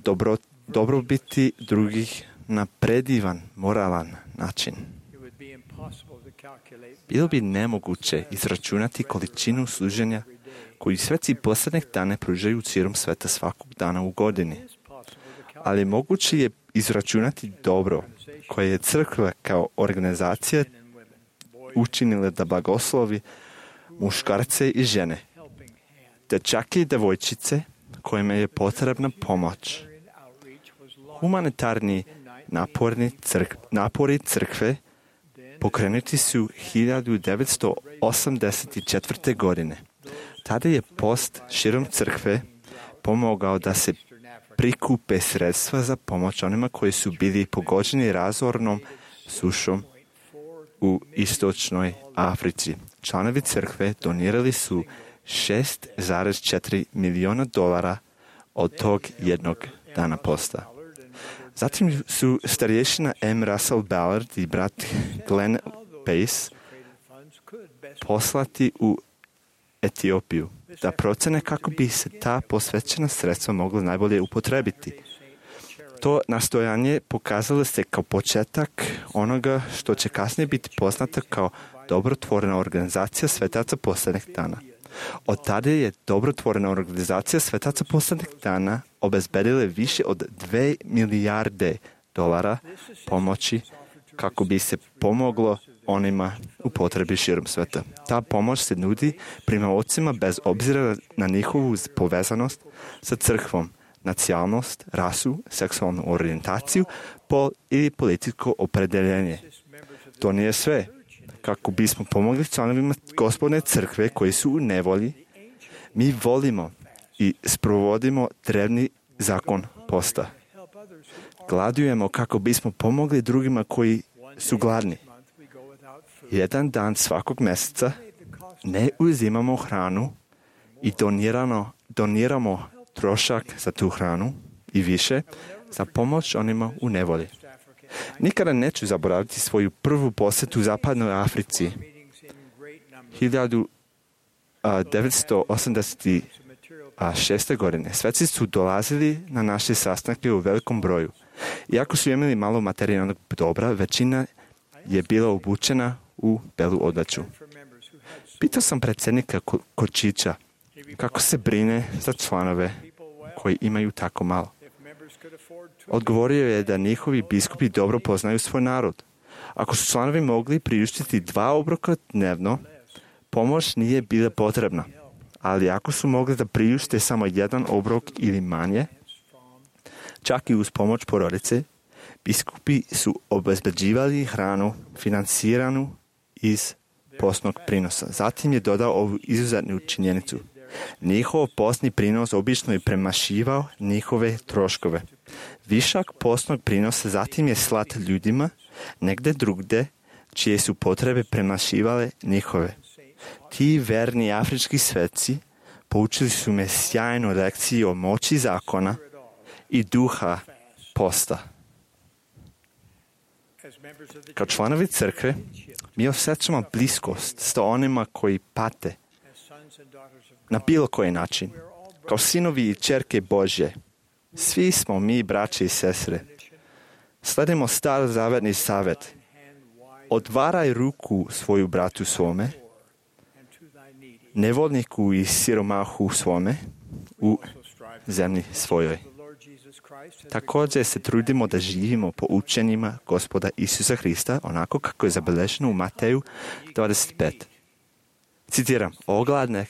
dobrobiti drugih na predivan, moralan način. Bilo bi nemoguće izračunati količinu služenja koju sveci posljednjih dana pružaju širom sveta svakog dana u godini. Ali moguće je izračunati dobro koje je crkva kao organizacija učinila da blagoslovi muškarce i žene, dečake i devojčice kojima je potrebna pomoć. Humanitarni napori crkve pokrenuti su 1984. godine. Tada je post širom crkve pomogao da se prikupe sredstva za pomoć onima koji su bili pogođeni razornom sušom u istočnoj Africi. Članovi crkve donirali su $6,4 milijuna od tog jednog dana posta. Zatim su starješina M. Russell Ballard i brat Glenn Pace poslati u Etiopiju da procene kako bi se ta posvećena sredstva mogla najbolje upotrebiti. To nastojanje pokazalo se kao početak onoga što će kasnije biti poznata kao dobrotvorna organizacija svetaca posljednjih dana. Od tada je dobrotvorna organizacija svetaca posljednjih dana obezbedila više od $2 milijarde pomoći kako bi se pomoglo onima u potrebi širom sveta. Ta pomoć se nudi primaocima bez obzira na njihovu povezanost sa crkvom, nacionalnost, rasu, seksualnu orijentaciju, pol ili političko opredeljenje. To nije sve. Kako bismo pomogli članovima Gospodne crkve koji su u nevolji, mi volimo i sprovodimo drevni zakon posta. Gladujemo kako bismo pomogli drugima koji su gladni. Jedan dan svakog mjeseca ne uzimamo hranu i doniramo trošak za tu hranu i više za pomoć onima u nevolji. Nikada neću zaboraviti svoju prvu posjetu u zapadnoj Africi. 1986. godine. Sveci su dolazili na naše sastanke u velikom broju. Iako su imali malo materijalnog dobra, većina je bila obučena u belu odjeću. Pitao sam predsjednika Kočića kako se brine za članove koji imaju tako malo. Odgovorio je da njihovi biskupi dobro poznaju svoj narod. Ako su članovi mogli priuštiti 2 obroka dnevno, pomoć nije bila potrebna. Ali ako su mogli da priušte samo 1 obrok ili manje, čak i uz pomoć porodice, biskupi su obezbeđivali hranu financiranu iz postnog prinosa. Zatim je dodao ovu izuzetnu činjenicu. Njihov postni prinos obično je premašivao njihove troškove. Višak postnog prinosa zatim je slat ljudima negde drugde čije su potrebe premašivale njihove. Ti verni afrički sveci poučili su me sjajnu lekciju o moći zakona i duha posta. Kao članovi crkve, mi osjećamo bliskost s onima koji pate na bilo koji način. Kao sinovi i ćerke Božje, svi smo mi braće i sestre. Sledimo starozavetni savjet. Otvaraj ruku svoju bratu svome, nevoljniku i siromahu svome u zemlji svojoj. Također se trudimo da živimo po učenjima Gospoda Isusa Hrista, onako kako je zabeleženo u Mateju 25. Citiram, ogladneh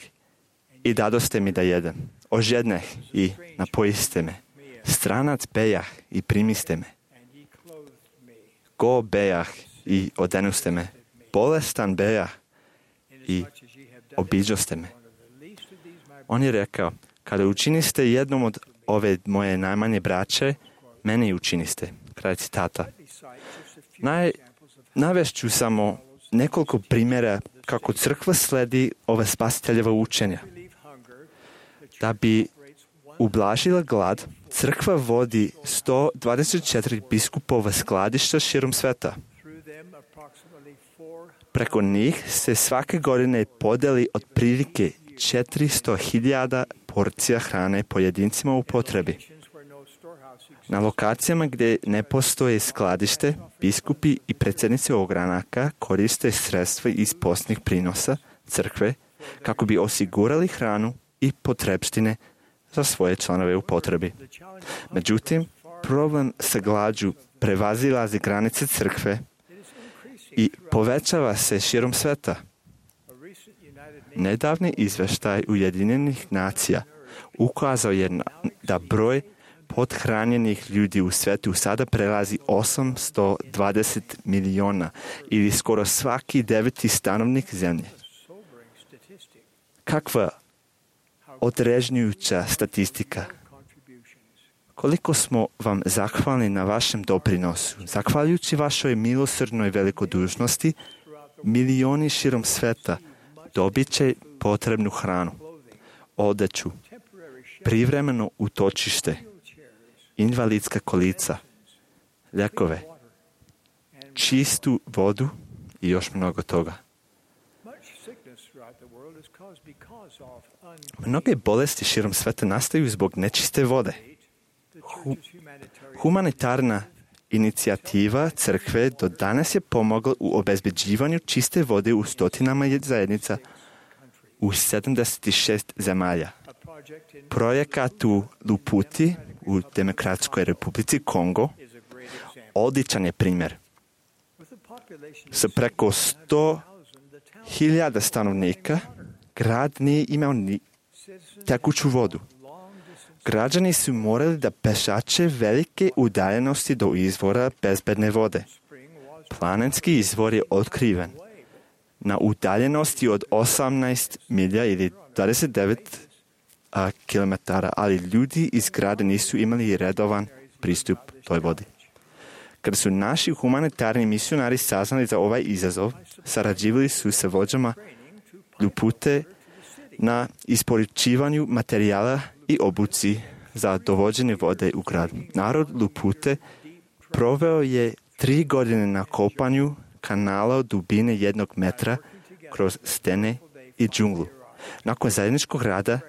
i dadoste mi da jedem, ožedneh i napojiste me, stranac bejah i primiste me, go bejah i odenuste me, bolestan bejah i obiđoste me. On je rekao, kada učiniste jednom od ove moje najmanje braće, mene i učiniste. Kraj citata. Navešću samo nekoliko primjera kako crkva sledi ove spasiteljeva učenja. Da bi ublažila glad, crkva vodi 124 biskupova skladišta širom sveta. Preko njih se svake godine podeli otprilike 400.000 porcija hrane pojedincima u potrebi. Na lokacijama gdje ne postoje skladište, biskupi i predsjednici ogranaka koriste sredstva iz postnih prinosa crkve kako bi osigurali hranu i potrepštine za svoje članove u potrebi. Međutim, problem sa glađu prevazilazi granice crkve i povećava se širom sveta. Nedavni izveštaj Ujedinjenih nacija ukazao je da broj pothranjenih ljudi u svetu sada prelazi 820 miliona ili skoro svaki 9. stanovnik zemlje. Kakva odrežnjujuća statistika. Koliko smo vam zahvalni na vašem doprinosu. Zahvaljujući vašoj milosrdnoj velikodušnosti, milioni širom sveta dobit će potrebnu hranu, odeću, privremeno utočište, invalidska kolica, ljekove, čistu vodu i još mnogo toga. Mnoge bolesti širom sveta nastaju zbog nečiste vode. Humanitarna inicijativa crkve do danas je pomogla u obezbeđivanju čiste vode u stotinama zajednica u 76 zemalja. Projekat u Luputi u Demokratskoj republici Kongo odličan je primjer. Sa preko 100.000 stanovnika grad nije imao ni tekuću vodu. Građani su morali da pešače velike udaljenosti do izvora bezbedne vode. Planinski izvor je otkriven na udaljenosti od 18 milja ili 29 kilometara, ali ljudi iz grada nisu imali redovan pristup toj vodi. Kada su naši humanitarni misionari saznali za ovaj izazov, sarađivali su sa vođama Lupute na isporučivanju materijala i obuci za dovođenje vode u grad. Narod Lupute proveo je 3 godine na kopanju kanala od dubine 1 metra kroz stene i džunglu. Nakon zajedničkog rada,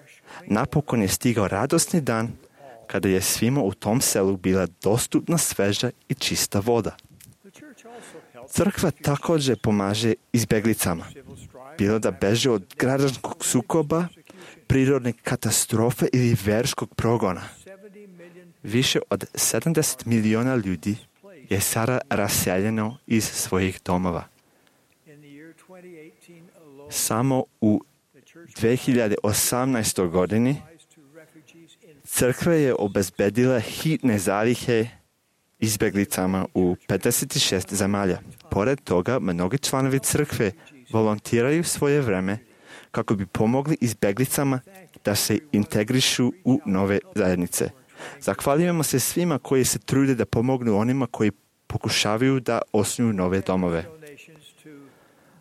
napokon je stigao radosni dan kada je svima u tom selu bila dostupna sveža i čista voda. Crkva također pomaže izbeglicama, bilo da beže od građanskog sukoba, prirodne katastrofe ili verskog progona. Više od 70 miliona ljudi je sada raseljeno iz svojih domova. Samo u 2018. godini crkva je obezbedila hitne zalihe izbeglicama u 56 zemalja. Pored toga, mnogi članovi crkve volontiraju svoje vreme kako bi pomogli izbeglicama da se integrišu u nove zajednice. Zahvaljujemo se svima koji se trude da pomognu onima koji pokušavaju da osnuju nove domove.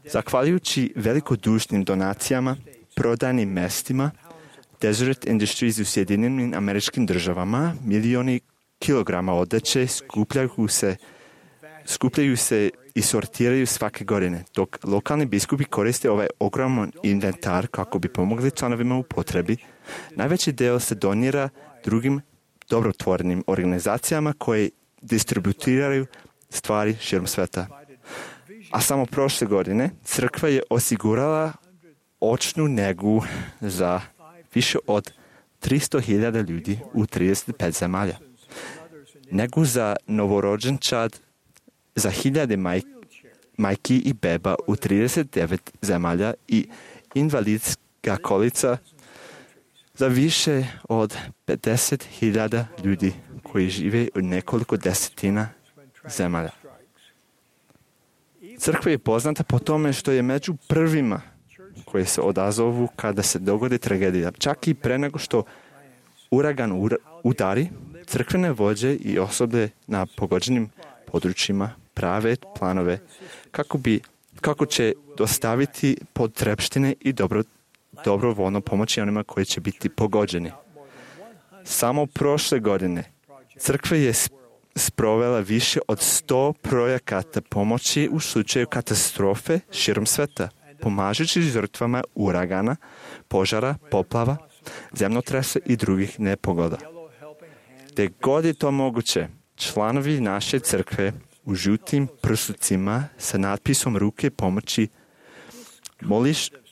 Zahvaljujući velikodušnim donacijama, prodajnim mestima, Deseret Industries u Sjedinjenim Američkim Državama, milioni kilograma odeće skupljaju se i sortiraju svake godine, dok lokalni biskupi koriste ovaj ogroman inventar kako bi pomogli članovima u potrebi. Najveći deo se donira drugim dobrotvornim organizacijama koje distributiraju stvari širom sveta. A samo prošle godine crkva je osigurala očnu negu za više od 300.000 ljudi u 35 zemalja. Negu za novorođenčad za 1000 majki i beba u 39 zemalja i invalidska kolica za više od 50.000 ljudi koji žive u nekoliko desetina zemalja. Crkva je poznata po tome što je među prvima koje se odazovu kada se dogodi tragedija. Čak i pre nego što uragan udari, crkvene vođe i osobe na pogođenim područjima prave planove kako će dostaviti potrepštine i dobrovoljno pomoći onima koji će biti pogođeni. Samo prošle godine crkva je sprovela više od 100 projekata pomoći u slučaju katastrofe širom sveta, pomažući žrtvama uragana, požara, poplava, zemljotresa i drugih nepogoda. Gde god je to moguće, članovi naše crkve u žutim prsucima sa natpisom ruke pomoći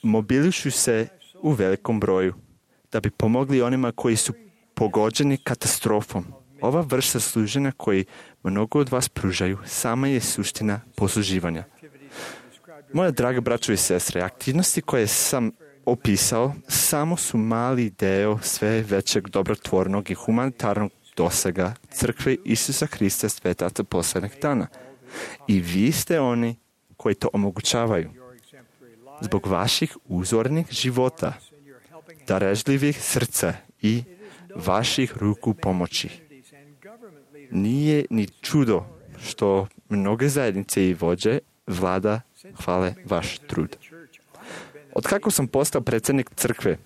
mobilišu se u velikom broju da bi pomogli onima koji su pogođeni katastrofom. Ova vrsta služenja koji mnogo od vas pružaju sama je suština posluživanja. Moja draga braćo i sestre, aktivnosti koje sam opisao samo su mali deo sve većeg dobrotvornog i humanitarnog dosega crkve Isusa Hrista svetaca poslednjeg dana. I vi ste oni koji to omogućavaju. Zbog vaših uzornih života, darežljivih srca i vaših ruku pomoći. Nije ni čudo što mnoge zajednice i vođe vlada hvale vaš trud. Otkako sam postao predsjednik crkve,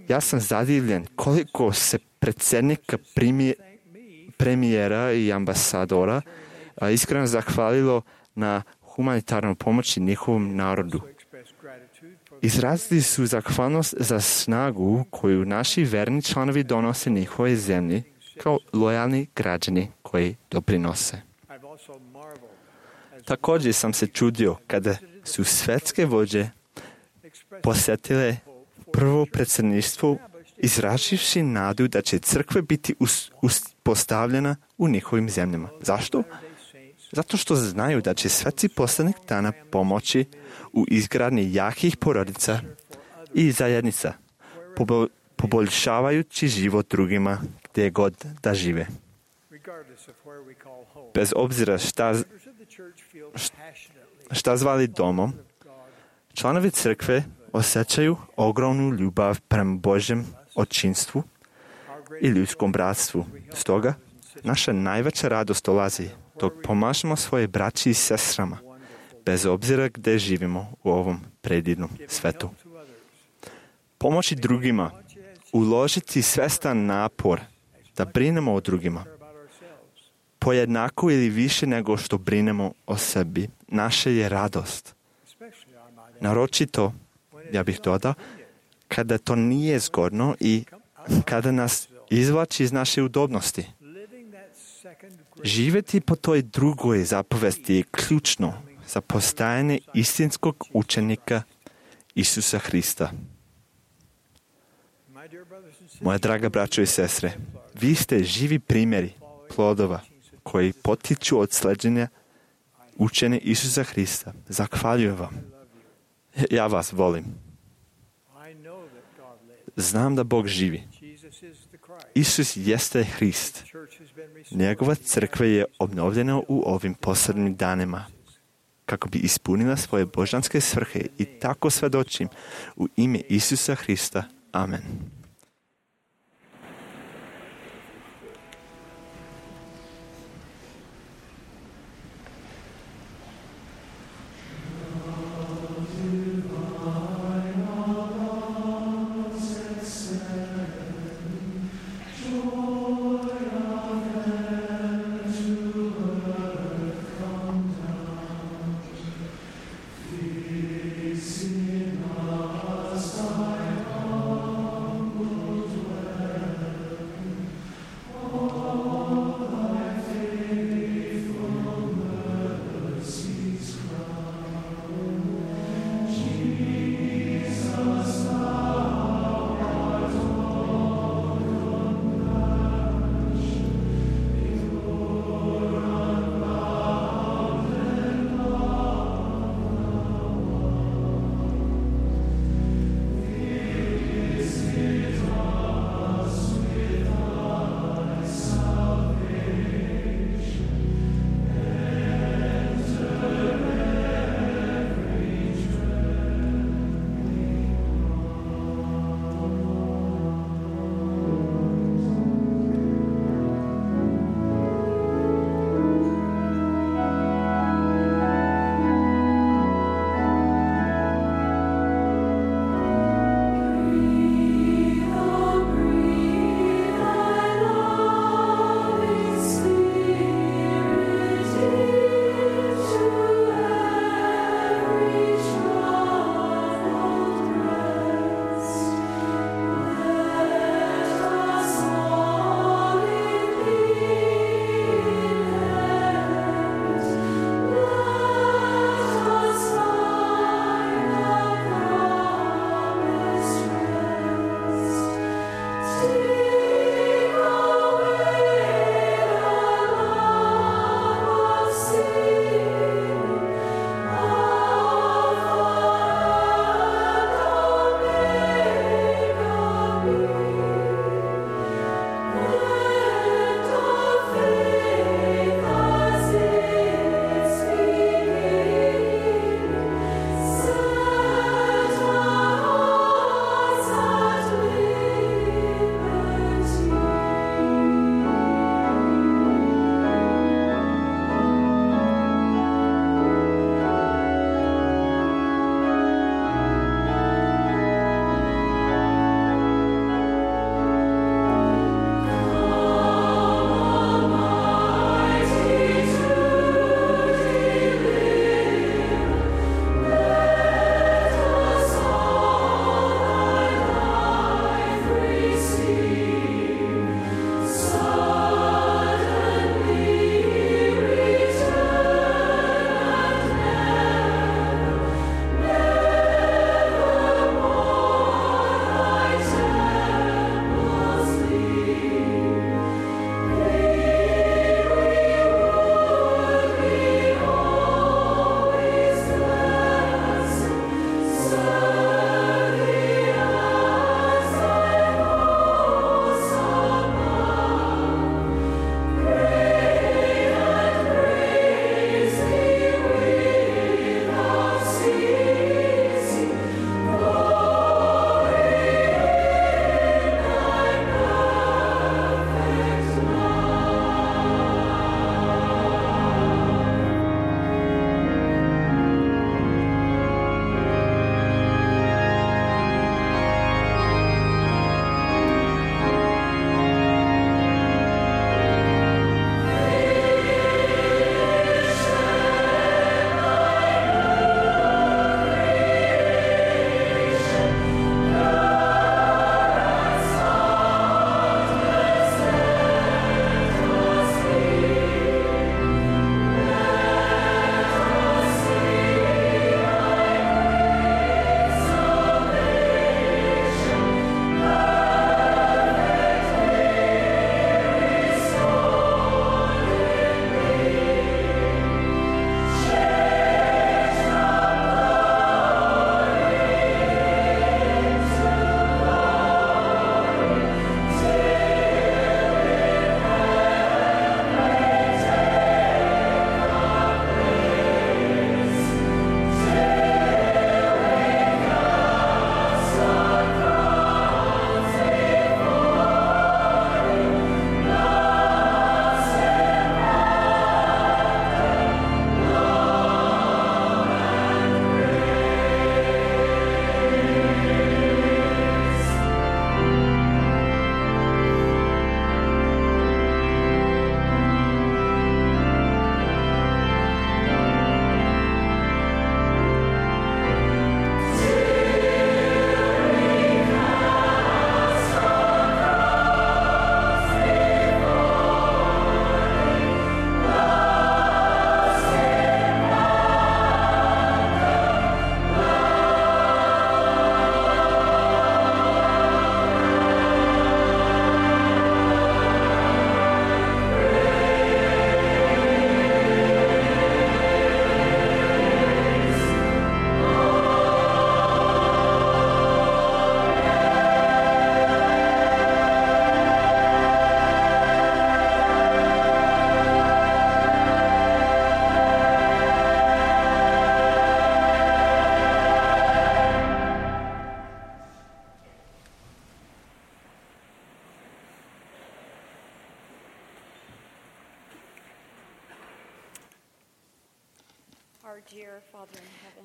ja sam zadivljen koliko se predsjednika, premijera i ambasadora iskreno zahvalilo na humanitarnoj pomoći njihovom narodu. Izrazili su zahvalnost za snagu koju naši verni članovi donose njihove zemlji kao lojalni građani koji doprinose. Također sam se čudio kada su svetske vođe posjetile prvo predsjedništvo izraživši nadu da će crkva biti uspostavljena u njihovim zemljama. Zašto? Zato što znaju da će sveci poslednjih dana pomoći u izgradnji jakih porodica i zajednica, poboljšavajući život drugima gdje god da žive. Bez obzira šta zvali domom, članovi crkve osjećaju ogromnu ljubav prema Božjem očinstvu i ljudskom bratstvu. Stoga, naša najveća radost dolazi dok pomažemo svoje braći i sestrama, bez obzira gdje živimo u ovom predivnom svetu. Pomoći drugima, uložiti svestan napor da brinemo o drugima, pojednako ili više nego što brinemo o sebi, naša je radost. Naročito, ja bih dodao, kada to nije zgodno i kada nas izvlači iz naše udobnosti. Živjeti po toj drugoj zapovesti je ključno za postajanje istinskog učenika Isusa Hrista. Moja draga braćo i sestre, vi ste živi primjeri plodova koji potiču od sleđenja učenja Isusa Hrista. Zahvaljujem vam. Ja vas volim. Znam da Bog živi. Isus jeste Hrist. Njegova crkva je obnovljena u ovim posljednjim danima kako bi ispunila svoje božanske svrhe i tako svedočim u ime Isusa Hrista. Amen.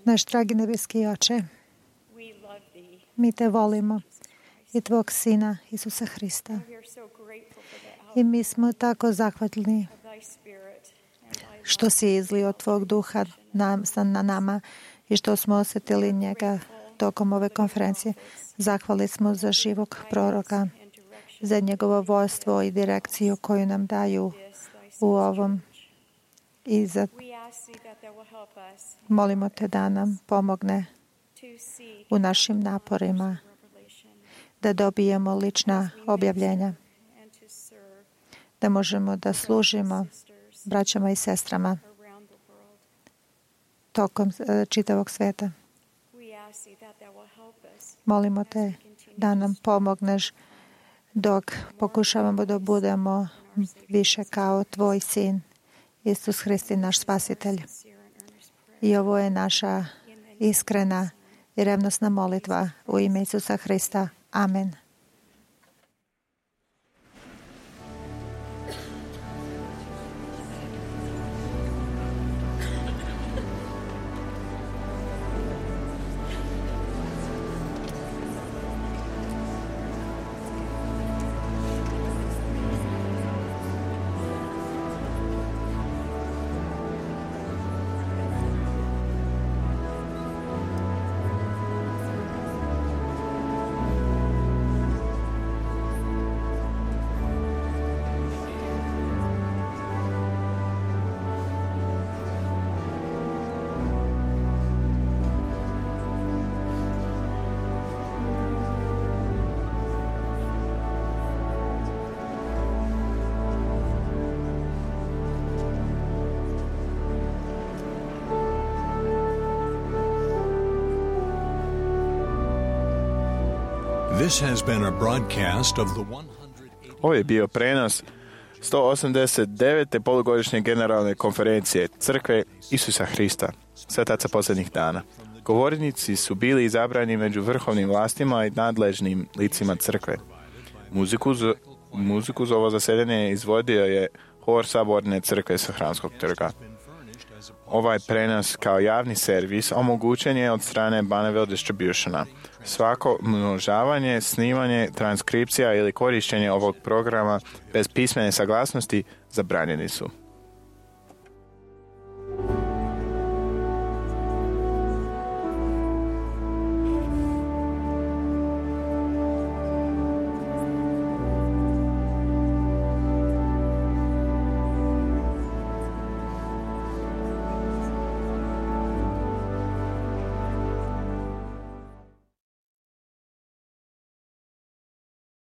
Naš dragi nebeski Oče, mi te volimo i tvog Sina Isusa Hrista. I mi smo tako zahvatni što si izlio tvog duha na nama i što smo osjetili njega tokom ove konferencije. Zahvali smo za živog proroka, za njegovo vodstvo i direkciju koju nam daju u ovom. I molimo te da nam pomogne u našim naporima da dobijemo lična objavljenja, da možemo da služimo braćama i sestrama tokom čitavog sveta. Molimo te da nam pomogneš dok pokušavamo da budemo više kao tvoj Sin, Isus Hristi, naš Spasitelj. I ovo je naša iskrena i revnosna molitva u ime Isusa Hrista. Amen. This has been a broadcast of the 180. Ovo je bio prenos 189. polugodišnje generalne konferencije Crkve Isusa Hrista, svetaca posljednjih dana. Govornici su bili izabrani među vrhovnim vlastima i nadležnim licima Crkve. Muziku za ovo zasedanje izvodio je Hor Saborne Crkve sa Hramskog trga. Ovaj prenos kao javni servis omogućen je od strane Bonneville Distributiona. Svako množavanje, snimanje, transkripcija ili korištenje ovog programa bez pismene saglasnosti zabranjeni su.